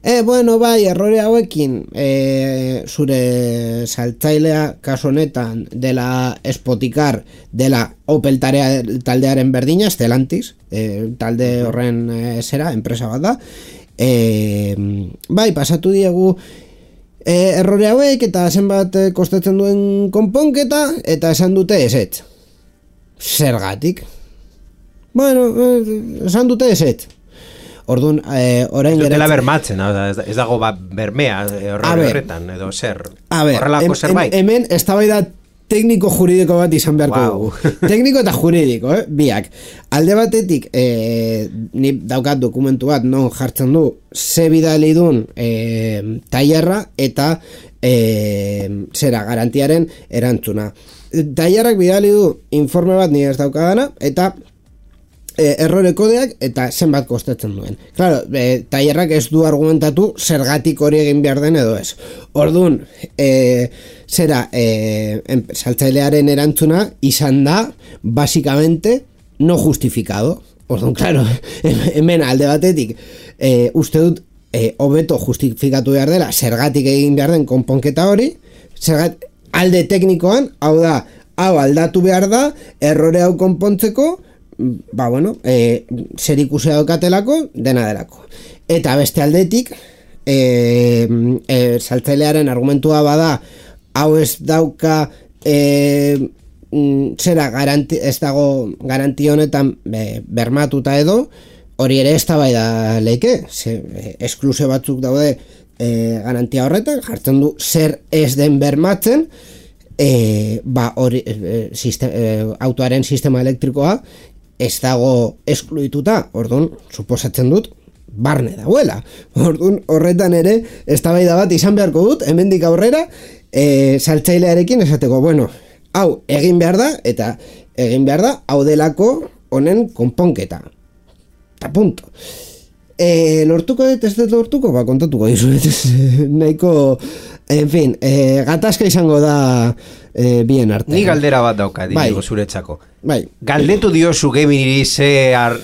A: E, bueno, bai, errore hauekin, e, zure saltzailea kasu honetan dela Spotikar, dela Opel tarea, taldearen berdina, Stellantis, e, talde horren e, zera, enpresa bat da. E, bai, pasatu diegu e, errore hauek eta zenbat kostatzen duen konponketa, eta esan dute ezetz. Zergatik? Bueno, esan dute ezetz. Orduan, eh, orain geratzen...
B: Dela bermatzen, ez dago bat bermea horretan, edo zer, horrelako zerbait.
A: Hemen, ez da bai da tekniko juridiko bat izan beharko dugu. Wow. Tekniko eta juridiko, eh? Biak. Alde batetik, eh, ni daukat dokumentu bat, non jartzen du, ze bidali dun eh, tailerra eta eh, zera, garantiaren erantzuna. Tailerrak bidali du informe bat ni ez daukadana, eta E, errore kodeak eta zenbat kostatzen duen. Claro, e, tailerrak ez du argumentatu zergatik hori egin behar den edo ez. Orduan, e, zera, e, saltzailearen erantzuna izan da, basikamente, no justificado. Orduan, claro, hemen alde batetik, e, uste dut, e, hobeto justifikatu behar dela, zergatik egin behar den konponketa hori, zergat, alde teknikoan, hau da, hau aldatu behar da, errore hau konpontzeko, ba bueno, e, zer ikusi daukatelako, dena delako. Eta beste aldetik, e, e, saltzailearen argumentua bada, hau ez dauka e, zera garanti, ez dago garanti honetan be, bermatuta edo, hori ere ez da bai da leike, e, eskluze batzuk daude e, garantia horretan, jartzen du zer ez den bermatzen, e, ba hori e, sistem, e, autoaren sistema elektrikoa ez dago eskluituta, orduan, suposatzen dut, barne dagoela. Orduan, horretan ere, eztabaida bat izan beharko dut, hemendik aurrera, e, saltzailearekin esateko, bueno, hau egin behar da, eta egin behar da, hau delako honen konponketa. Eta punto. E, lortuko dut, ez dut lortuko, ba, kontatuko dizuet, nahiko, en fin, e, gatazka izango da e, bien arte.
B: Ni galdera bat dauka, bai. Digo, zuretzako.
A: Bai.
B: Galdetu diozu Geminiri ze ar,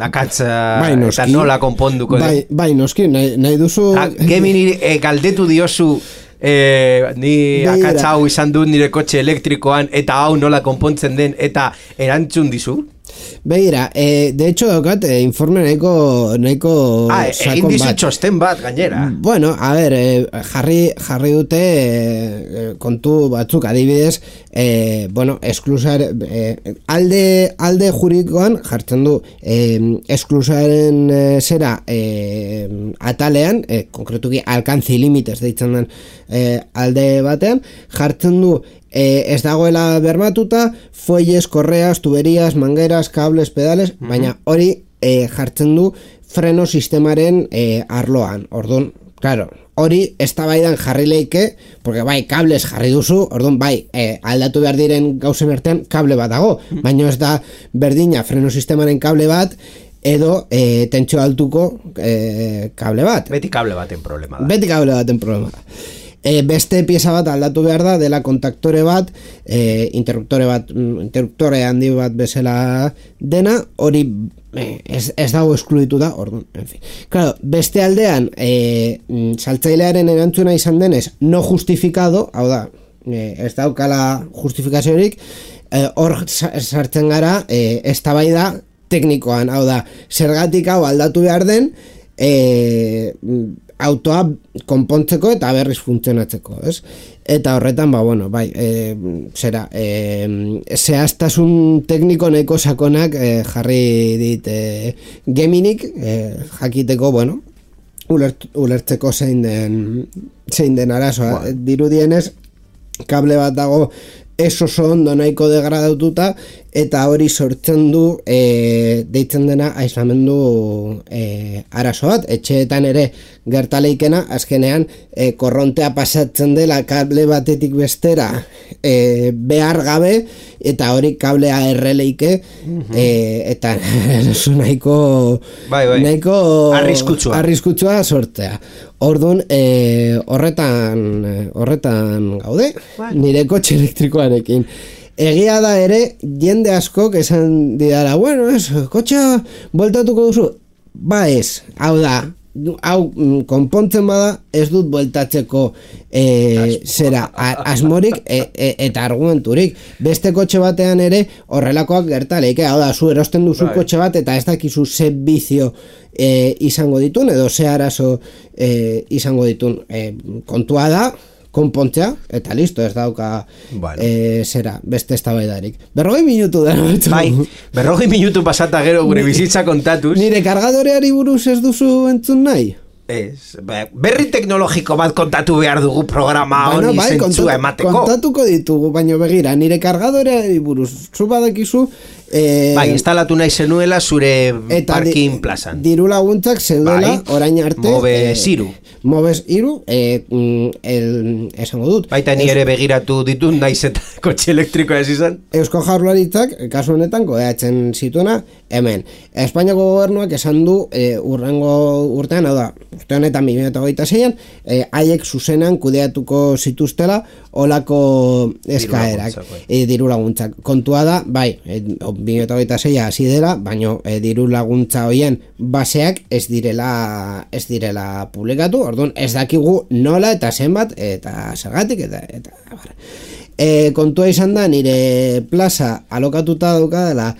B: akatza bai, eta nola konponduko.
A: Bai, bai, noski, nahi, nahi duzu...
B: A, Geminiri e, galdetu diozu e, ni akatza hau izan dut nire kotxe elektrikoan eta hau nola konpontzen den eta erantzun dizu?
A: Begira, eh, de hecho daukat eh, informe nahiko nahiko
B: ah, egin dizu txosten bat gainera.
A: Bueno, a ver, eh, jarri jarri dute eh, kontu batzuk adibidez, eh, bueno, esklusar eh, alde alde juridikoan jartzen du eh, esklusaren eh, zera eh, atalean, eh, konkretuki alcance limites deitzen den eh, alde batean jartzen du Eh, ez dagoela bermatuta, fuelles, correas, tuberías, mangueras, cables, pedales, mm-hmm. baina hori eh, jartzen du freno sistemaren eh, arloan. Orduan, Claro, hori eztabaidan jarri leike, porque bai, kables jarri duzu, orduan bai, eh, aldatu behar diren gauzen artean kable bat dago, baina ez da berdina freno sistemaren kable bat, edo eh, tentsio altuko eh, kable bat.
B: Beti kable baten problema da.
A: Beti kable baten problema da. E, beste pieza bat aldatu behar da, dela kontaktore bat, e, interruptore bat, interruptore handi bat bezala dena, hori e, ez, ez dago eskluditu da, orduan, en fin. Claro, beste aldean, e, saltzailearen erantzuna izan denez, no justificado, hau da, e, ez daukala justifikaziorik, e, hor sartzen gara, e, eztabaida teknikoan, hau da, zergatik hau aldatu behar den, e, autoa konpontzeko eta berriz funtzionatzeko, ez? Eta horretan, ba, bueno, bai, e, zera, e, zehaztasun tekniko nahiko sakonak e, jarri dit e, Geminik, e, jakiteko, bueno, ulert, ulertzeko zein den, zein den arazoa. Wow. Dirudienez, kable bat dago ez oso ondo nahiko degradatuta, eta hori sortzen du e, deitzen dena aislamendu e, arazo bat. Etxeetan ere gertaleikena, azkenean e, korrontea pasatzen dela kable batetik bestera e, behar gabe, eta hori kablea erreleike, mm-hmm. e, eta nahiko
B: bai, bai.
A: nahiko
B: arriskutsua.
A: arriskutsua sortzea. Orduan, e, horretan horretan gaude, bai. Nire kotxe elektrikoarekin. Egia da ere, jende askok esan didara, bueno, ez, kotxea bueltatuko duzu? Ba ez, hau da, hau konpontzen bada, ez dut bueltatzeko e, zera, asmorik e, e, eta argumenturik. Beste kotxe batean ere horrelakoak gertaleik, hau da, zu erosten duzu right. Kotxe bat eta ez dakizu ze bizio e, izango ditun, edo ze arazo e, izango ditun. E, kontua da, konpontzea, eta listo, ez dauka bueno. e, zera, beste eztabaidarik. Berrogei minutu da, no?
B: Bai, berrogei minutu pasata gero gure bizitza kontatuz.
A: Nire kargadoreari buruz ez duzu entzun nahi?
B: Ez, berri teknologiko bat kontatu behar dugu programa bueno, honi bai, zentzua emateko.
A: Kontatuko ditugu, baina begira, nire kargadoreari buruz, zu badakizu,
B: Eh, bai, instalatu nahi zenuela zure parking plazan.
A: Diru laguntzak zeudela bai, orain arte.
B: Mobes iru.
A: Eh, Mobes iru, eh, el, esango dut.
B: Baita ni ere begiratu ditut naiz eta kotxe elektrikoa ez izan.
A: Eusko Jaurlaritzak, kasu honetan, kodeatzen zituena, hemen. Espainiako gobernuak esan du eh, urrengo urtean, hau da, urte honetan bi mila hogeita seian, eh, haiek zuzenan kudeatuko zituztela olako eskaerak, eh, diru laguntzak. Kontua da, bai, eh, bi mila hogeita seia hasi dela, baino e, diru laguntza hoien baseak ez direla ez direla publikatu, orduan ez dakigu nola eta zenbat eta zergatik eta eta e, kontua izan da nire plaza alokatuta dauka dela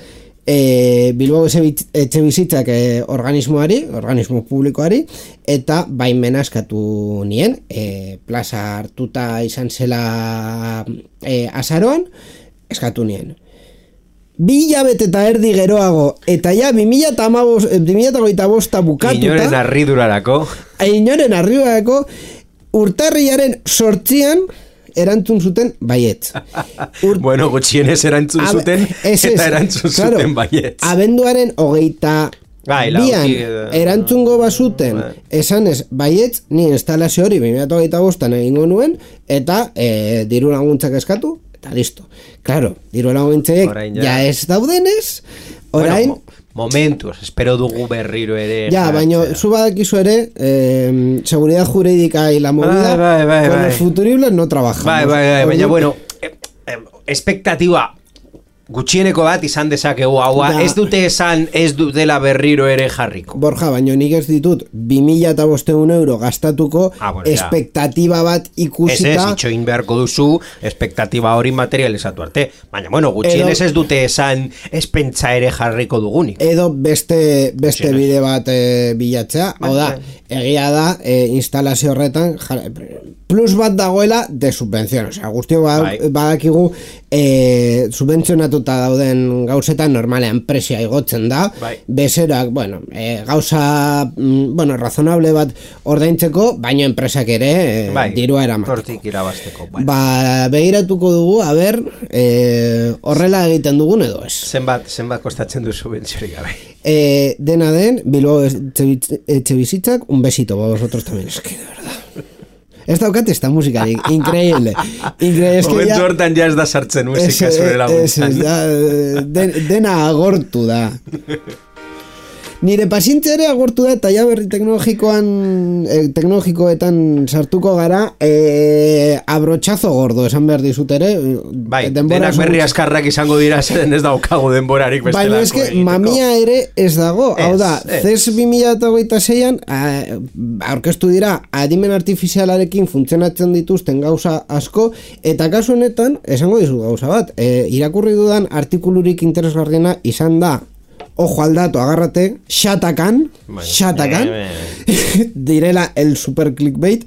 A: e, Bilbao Etxebizitzak e, organismoari, organismo publikoari, eta baimena eskatu nien, e, plaza hartuta izan zela e, azaroan, eskatu nien. Bi hilabete eta erdi geroago, eta ja bi mila hogeita bosta bukatuta,
B: inoren arridurarako
A: inoren arridurarako urtarriaren sortzian erantzun zuten baietz.
B: Ur... bueno, gutxienez erantzun Ab... zuten es, es, eta erantzun claro, zuten baietz.
A: Abenduaren hogeita Gai, bian uki, erantzungo bazuten bai. Esanez baietz, ni instalazio hori bi mila hogeita bostan egingo nuen, eta e, diru laguntzak eskatu, eta listo. Claro, diru laguntzek ja. ja ez daudenez, orain...
B: Bueno, mo momentuz, espero dugu berriro ere...
A: Ja, baina zu badakizu ere, eh, seguridad jurídica y la movida,
B: bai, bai, bai,
A: con
B: bai.
A: los futuribles no trabajamos.
B: Bai, bai, bai, baina, bueno, eh, eh, expectativa... gutxieneko bat izan dezakegu haua, da, ez dute esan ez dutela berriro ere jarriko.
A: Borja, baina nik ez ditut bi mila bostehun euro gastatuko ah, bueno, espektatiba bat ikusita.
B: Ez ez, itxoin beharko duzu espektatiba hori materializatu arte. Baina, bueno, gutxienez ez dute esan ez pentsa ere jarriko dugunik.
A: Edo beste, beste bide bat e, bilatzea. Hau da, egia da, e, instalazio horretan plus bat dagoela de subvención. Osea, guztio badakigu e, subventzionatu zentratuta dauden gauzetan normalean presioa igotzen da,
B: bai.
A: bezeroak, bueno, e, gauza, mm, bueno, razonable bat ordaintzeko, baino enpresak ere e,
B: bai,
A: dirua eramateko.
B: Hortik irabazteko. Bueno.
A: Ba, begiratuko dugu, a ber, e, horrela egiten dugun edo ez.
B: Zenbat, zenbat kostatzen duzu bentsiorik gabe.
A: Eh, dena den, Bilbao etxe bizitzak, un besito para vosotros también, es que de verdad. Ez daukat esta musika, increíble. Increíble, es que
B: momentu
A: ya...
B: hortan ja ez da sartzen musika zure laguntzan.
A: Den, dena agortu da. Nire pazientzia ere agortu da eta ja berri teknologikoan eh, teknologikoetan sartuko gara eh, abrotxazo gordo esan behar dizut ere
B: bai, denak berri askarrak izango dira zeren ez daukagu denborarik bestelako
A: baina eske mamia ere ez dago es, hau da, C E S bi mila hogeita seian aurkeztu dira adimen artifizialarekin funtzionatzen dituzten gauza asko eta kasu honetan esango dizu gauza bat eh, irakurri dudan artikulurik interesgarriena izan da ojo al dato, agárrate, Shatakan, bueno, Shatakan, eh, direla el super clickbait,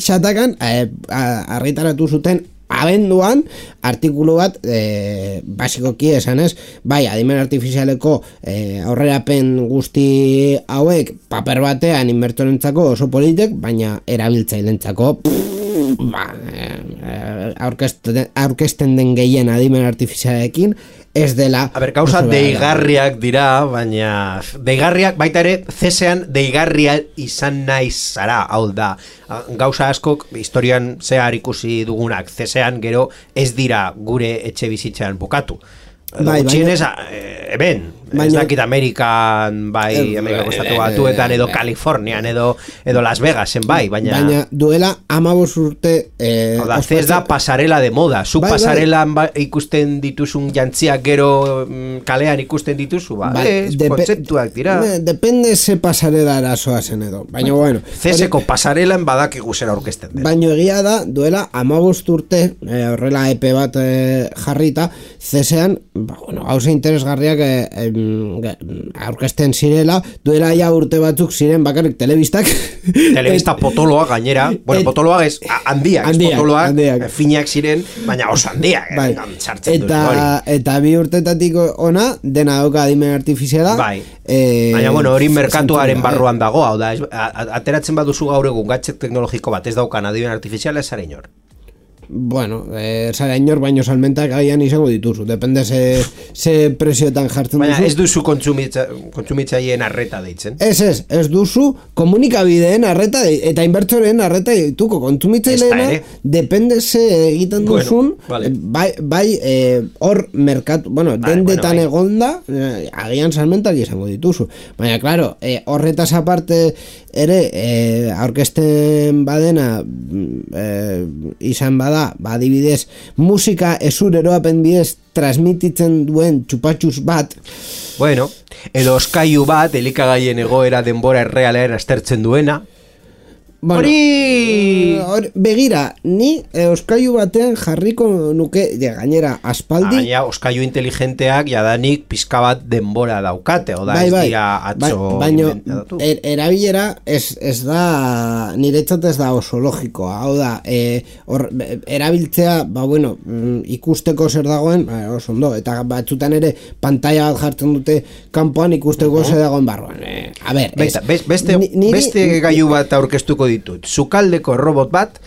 A: Shatakan, eh, argitaratu zuten abenduan artikulu bat eh, basikoki esanez, bai, adimen artifizialeko eh, aurrerapen guzti hauek paper batean inbertorentzako oso politek, baina erabiltzailentzako ba, eh, aurkezten, aurkezten den gehien adimen artifizialekin ez dela...
B: A ber, gauza deigarriak dira, baina... Deigarriak, baita ere, zesean deigarria izan naiz zara, hau da. Gauza askok, historian zehar ikusi dugunak, zesean gero ez dira gure etxe bizitzan bukatu. Bai, Txinez, eben, ez dakit Amerikan, bai, Amerikako estatu batuetan, edo Kalifornian, edo, edo Las Vegasen, bai, baina...
A: Baina duela amabos urte... Eh,
B: Oda, ez da pasarela de moda, zu bai, pasarelan bai. ikusten dituzun jantziak gero mm, kalean ikusten dituzu, ba, bai, ez, depe, kontzeptuak dira.
A: Depende ze pasarela arazoa zen edo, baina bueno...
B: Zeseko pasarelan badakigu zer aurkezten den.
A: Baina egia da, duela amabos urte, eh, horrela epe bat eh, jarrita, zesean... Ba, bueno, hauze interesgarriak eh, eh, aurkezten zirela, duela ja urte batzuk ziren bakarrik telebistak.
B: Telebista potoloa gainera, bueno, potoloa ez, handiak, handiak, potoloak, handiak. Finak ziren, baina oso handiak, bai. Sartzen
A: eta, duzu, eta bi urtetatik ona, dena dauka adimen artifiziala.
B: Bai, eh, baina bueno, hori merkatuaren barruan dago, hau da, ateratzen baduzu gaur egun gadget teknologiko bat ez daukan adimen artifiziala ez zara inor.
A: Bueno, eh, zara inor baino salmentak agian izango dituzu, depende ze, ze presioetan jartzen
B: baina
A: duzu.
B: Baina ez duzu kontsumitza, kontsumitzaileen arreta deitzen.
A: Ez ez, ez duzu komunikabideen arreta de, eta inbertsoren arreta dituko kontsumitzaileena, depende ze egiten duzun, bueno, vale. bai, bai eh, hor merkatu, bueno, vale, dendetan bueno, bai. egonda, eh, agian salmentak izango dituzu. Baina, claro, eh, horretaz aparte ere, eh, aurkezten badena eh, izan bada, ba, adibidez, musika esureroapen bidez transmititzen duen txupatxus bat.
B: Bueno, edo oskailu bat, elikagaien egoera denbora errealean aztertzen duena.
A: Bueno, hori... Or, begira, ni eh, oskailu batean jarriko nuke, de, gainera, aspaldi...
B: Gainera, oskailu inteligenteak jadanik pizka bat denbora daukate, oda bai, ez bai, dira atzo...
A: Bai, baina, er, erabilera ez, ez da, niretzat ez da oso logikoa, hau da, eh, or, erabiltzea, ba, bueno, ikusteko zer dagoen, ba, oso ondo, eta batzutan ere pantalla bat jartzen dute kanpoan ikusteko uh-huh. zer dagoen barruan. Eh, a ber, ez,
B: Besta, beste, niri, beste gailu bat aurkeztuko ditut. Sukaldeko robot bat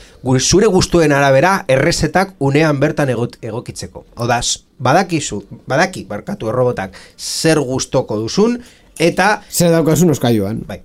B: zure gustuen arabera errezetak unean bertan egot, egokitzeko. Odaz, badakizu, badaki barkatu errobotak zer gustoko duzun eta
A: zer daukasun oskailuan.
B: Bai.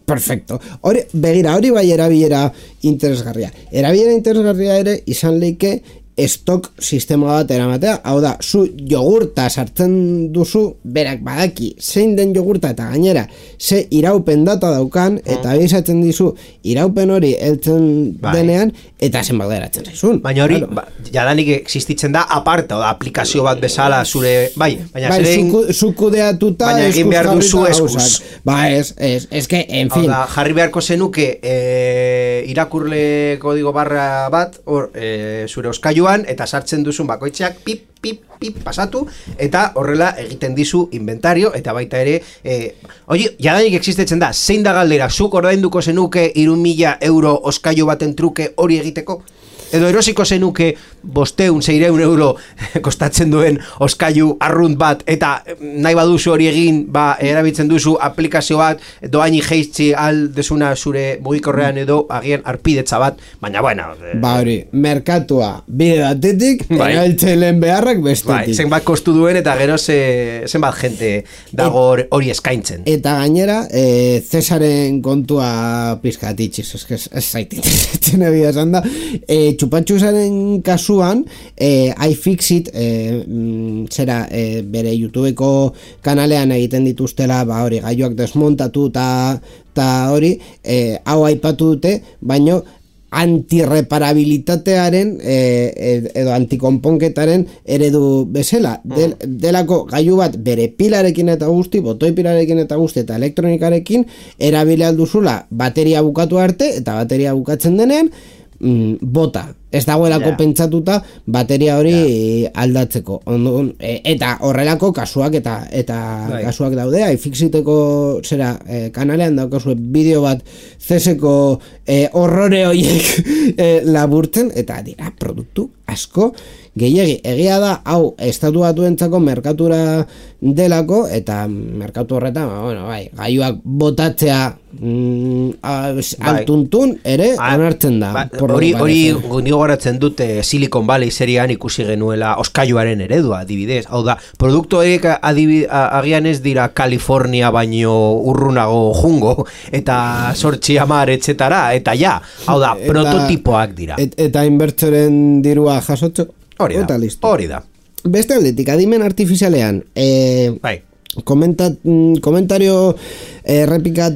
A: Perfecto. Hori, begira, hori bai erabilera interesgarria. Erabilera interesgarria ere izan leike estok sistema bat eramatea, hau da, zu jogurta sartzen duzu, berak badaki zein den jogurta eta gainera ze iraupen data daukan, eta abisatzen dizu iraupen hori heltzen bai. denean, eta zenbat geratzen zaizun.
B: Baina hori, claro. ba, jadanik existitzen da aparte, oda, aplikazio bat bezala zure, bai, baina
A: bai,
B: zerein,
A: zukudeatuta,
B: baina egin behar duzu eskuz.
A: Ba, ez, ez, ez que, en fin.
B: Hau da, jarri beharko zenuke e, irakurle kodigo barra bat, or, e, zure oskailuan, eta sartzen duzun bakoitzeak pip, pip, pip pasatu, eta horrela egiten dizu inventario, eta baita ere, eh, oie, jadanik existetzen da, zein da galdera, zuk ordainduko zenuke hiru mila euro oskailu baten truke hori egiteko? edo erosiko zenuke bosteun, seireun euro kostatzen duen oskailu arrunt bat, eta nahi baduzu hori egin, ba, erabiltzen duzu aplikazio bat, doaini jeitzi aldezuna zure mugikorrean edo agian arpidetza bat, baina bueno.
A: Ba hori, merkatua bide batetik, bai. Erabiltzaileen beharrak bestetik. Bai,
B: zenbat kostu duen eta gero ze, zenbat jente dago hori eskaintzen.
A: Eta gainera, e, Cesaren kontua pizkatitxiz, ez, ez, ez zaitit, etxen egia esan da, e, Txupatxusaren kasuan, e, iFixit, e, zera, e, bere YouTubeko kanalean egiten dituztela, ba hori, gailuak desmontatu eta hori, e, hau aipatu dute, baino antirreparabilitatearen e, edo antikonponketaren eredu bezala. Del, delako gailu bat bere pilarekin eta guzti, botoi pilarekin eta guzti eta elektronikarekin erabili alduzula bateria bukatu arte, eta bateria bukatzen denean mm, bota. Ez dagoelako yeah. pentsatuta bateria hori yeah. aldatzeko. Ondo, e, eta horrelako kasuak eta eta right. kasuak daude. iFixiteko zera e, kanalean daukazue bideo bat zeseko e, horrore horiek e, laburtzen, eta dira produktu asko gehiegi. Egia da, hau, estatu batuentzako merkatura delako, eta merkatu horretan, bueno, bai, gailuak botatzea mm, altuntun ere onartzen da.
B: Hori hori gogoratzen dute Silicon Valley serian ikusi genuela oskailuaren eredua, adibidez. Hau da, produktu horiek agian ez dira California baino urrunago jungo, eta sortzi hamar etzetara, eta ja, hau da, eta, prototipoak dira.
A: Et, eta inbertsoren dirua jasotxo,
B: hori da, hori da.
A: Beste aldetik, adimen artifizialean, eh,
B: bai.
A: Komenta, komentario errepikat,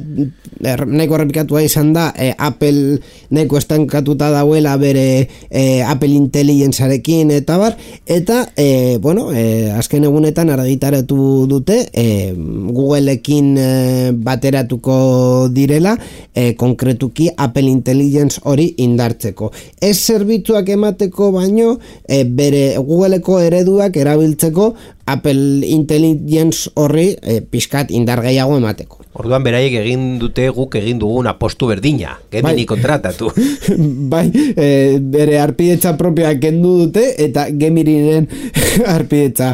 A: er, nahiko errepikatua izan da, e, Apple nahiko estankatuta dauela bere e, Apple Intelligencearekin eta bar, eta e, bueno, e, azken egunetan argitaratu dute e, Googleekin e, bateratuko direla, e, konkretuki Apple Intelligence hori indartzeko. Ez zerbitzuak emateko baino, e, bere Googleeko ereduak erabiltzeko Apple Intelligence horri e, pixkat indar gehiago emateko.
B: Orduan beraiek egin dute guk egin dugun apostu berdina, Gemini bai. Kontratatu.
A: Bai, e, bere arpidetza propia kendu dute eta Geminiren arpidetza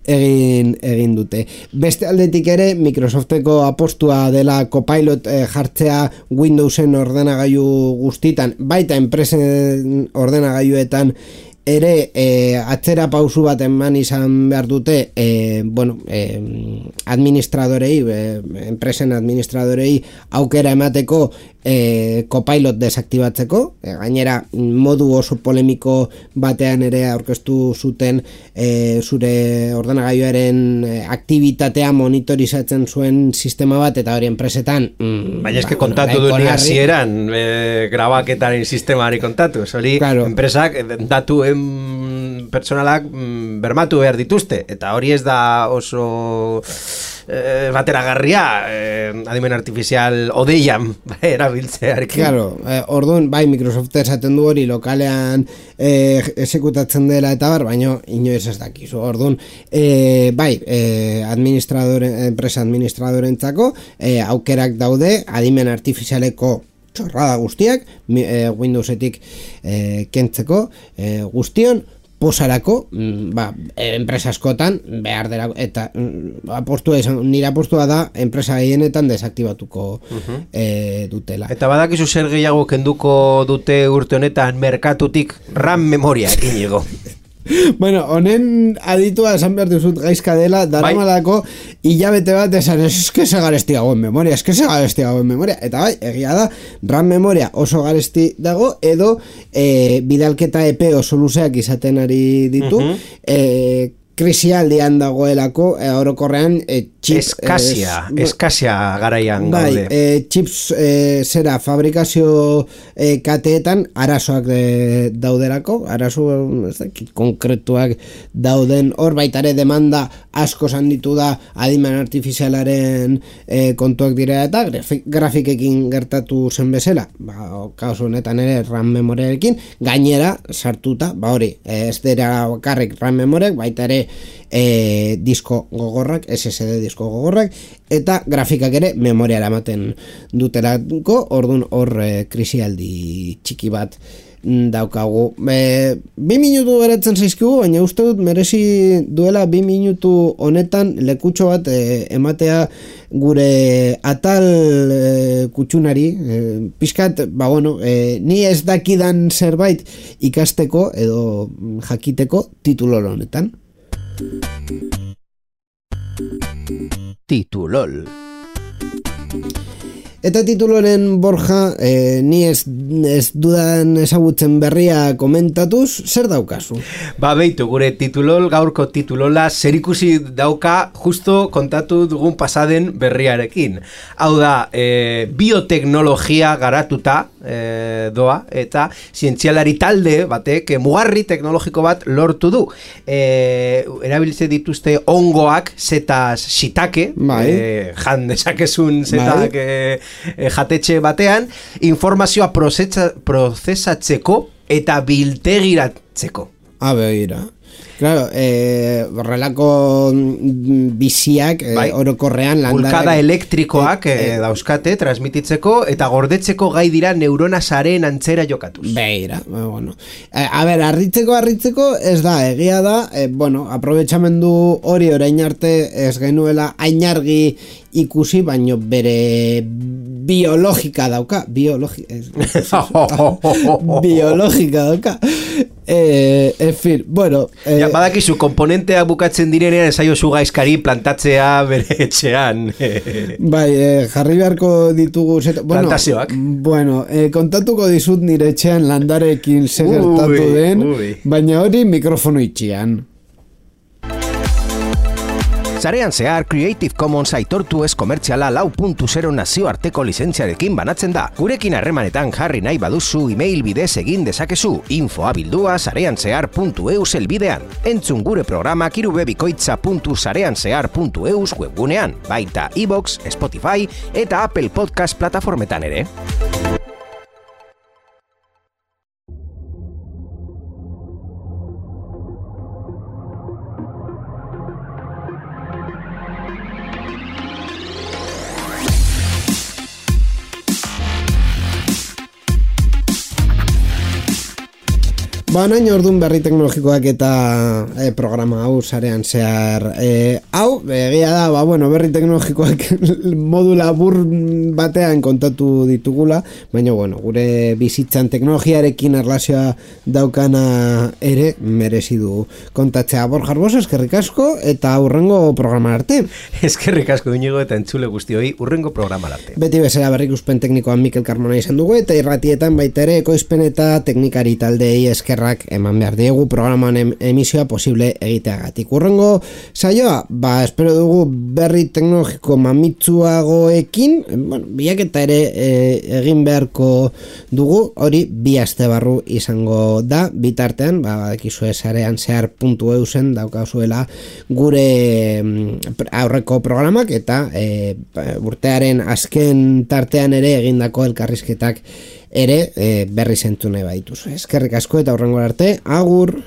A: egin, egin dute. Beste aldetik ere, Microsofteko apostua dela Copilot e, jartzea Windowsen ordenagailu guztitan, baita enpresen ordenagailuetan ere e, atzera pausu bat eman izan behar dute e, bueno, e, administradorei, e, enpresen administradorei aukera emateko e, Copilot desaktibatzeko, e, gainera modu oso polemiko batean ere aurkeztu zuten e, zure ordenagailuaren e, aktibitatea monitorizatzen zuen sistema bat, eta hori enpresetan mm,
B: baina eske ba, kontatu bueno, duen hasieran e, grabaketaren sistemari kontatu, hori claro. Enpresak datu pertsonalak mm, bermatu behar dituzte, eta hori ez da oso eh, bateragarria eh, adimen artifizial odeian erabiltzearekin.
A: Claro, eh, orduan, bai, Microsoft esaten du hori lokalean eh, esekutatzen dela eta bar, baina inoiz ez dakizu. Orduan, eh, bai, eh, administradore, enpresa administradorentzako eh, aukerak daude adimen artifizialeko txorrada guztiak, e, Windowsetik e, kentzeko e, guztion posarako, ba, enpresa askotan behar dela, eta apostua izan, nire apostua da enpresa gehienetan desaktibatuko uh-huh. e, dutela.
B: Eta badakizu zer gehiago kenduko dute urte honetan merkatutik RAM memoria Iñigo.
A: Bueno, honen aditua esan behar duzut gaizka dela, daramalako hilabete bat esan, ez que se garesti dago en memoria, ez que se garesti dago en memoria, eta bai, egia da, RAM memoria oso garesti dago, edo e, bidalketa epe oso luzeak izaten ari ditu, uh-huh. e, krisialdian dagoelako, e, orokorrean e, chip,
B: eskasia,
A: e,
B: eskasia garaian
A: bai,
B: gaude.
A: E, chips e, zera fabrikazio e, kateetan arazoak e, dauderako, arazo konkretuak dauden, hor baitare demanda asko zanditu da adimen artifizialaren e, kontuak dira, eta grafik, grafikekin gertatu zen bezala, ba, kaosu honetan ere RAM memoriarekin, gainera sartuta, ba hori, ez dira bakarrik RAM memoriak, baita ere E, disko gogorrak, S S D disko gogorrak, eta grafikak ere memoriara ematen dutelako, orduan hor e, krisialdi txiki bat daukagu. E, bi minutu beratzen zaizkigu, baina uste dut merezi duela bi minutu honetan lekutxo bat e, ematea gure atal e, kutxunari, e, pixkat, ba bueno, e, ni ez dakidan zerbait ikasteko edo jakiteko titulol honetan.
B: Titulol.
A: Eta tituloren Borja, eh, ni ez, ez dudan ezagutzen berria komentatuz, zer daukazu?
B: Ba, beitu, gure titulol, gaurko titulola, zerikusi dauka justo kontatu dugun pasaden berriarekin. Hau da, e, bioteknologia garatuta e, doa, eta zientzialari talde batek e, mugarri teknologiko bat lortu du. E, erabiltze dituzte ongoak, zetaz shitake, bai. e, jan dezakezun zetak bai. e, E, jatetxe batean, informazioa prozesa, prozesatzeko eta biltegiratzeko.
A: A begira. Claro, eh, horrelako biziak eh, bai. Orokorrean landarak...
B: Bulkada elektrikoak eh, eh, dauzkate transmititzeko eta gordetzeko gai dira neurona sareen antzera jokatuz.
A: Beira, bueno. Eh, a ber, arritzeko, arritzeko ez da, egia da, eh, bueno, aprobetxamendu hori orain arte ez genuela ainargi ikusi, baino bere biologika dauka, biologi, ez, biologika dauka. Eh, en fin, bueno... Eh,
B: ja, badakizu, komponenteak bukatzen direnean esaio zu gaizkari plantatzea bere etxean.
A: Bai, eh, jarri beharko ditugu... Zeta, bueno,
B: plantazioak.
A: Bueno, eh, kontatuko dizut nire etxean landarekin segertatu den, ui. Baina hori mikrofono itxian.
C: Sarean zehar Creative Commons aitortu ez komertziala lau puntu zero nazioarteko lizentziarekin banatzen da. Gurekin harremanetan jarri nahi baduzu email bidez egin dezakezu. Infoa bildua sareanzehar puntu eus elbidean. Entzun gure programak irubebikoitza puntu sareanzehar puntu eus webgunean. Baita iVoox, Spotify eta Apple Podcast plataformetan ere.
A: Ba, nain orduan berri teknologikoak eta e, programa hau sarean zehar e, hau, egia da, ba, bueno, berri teknologikoak modu labur batean kontatu ditugula, baina, bueno, gure bizitzan teknologiarekin erlazioa daukana ere merezi du kontatzea. Borja Arbosa, eskerrik asko eta hurrengo programa arte.
B: Eskerrik asko Inigo eta entzule guztioi hurrengo programa arte.
A: Beti bezala berrikuspen teknikoan Mikel Carmona izan dugu eta irratietan baita ere ekoizpen eta teknikari taldei esker eman behar diegu programan emisioa posible egiteagatik. Urrengo saioa, ba, espero dugu berri teknologiko mamitsuagoekin, bueno, bilaketa ere e, egin beharko dugu, hori bi aste barru izango da, bitartean, ba, badakizue sarean zehar puntu eusen daukazuela gure aurreko programak eta e, urtearen azken tartean ere egindako elkarrizketak ere e, berri zentu nahi baituz. Eskerrik asko eta hurrengo arte, agur!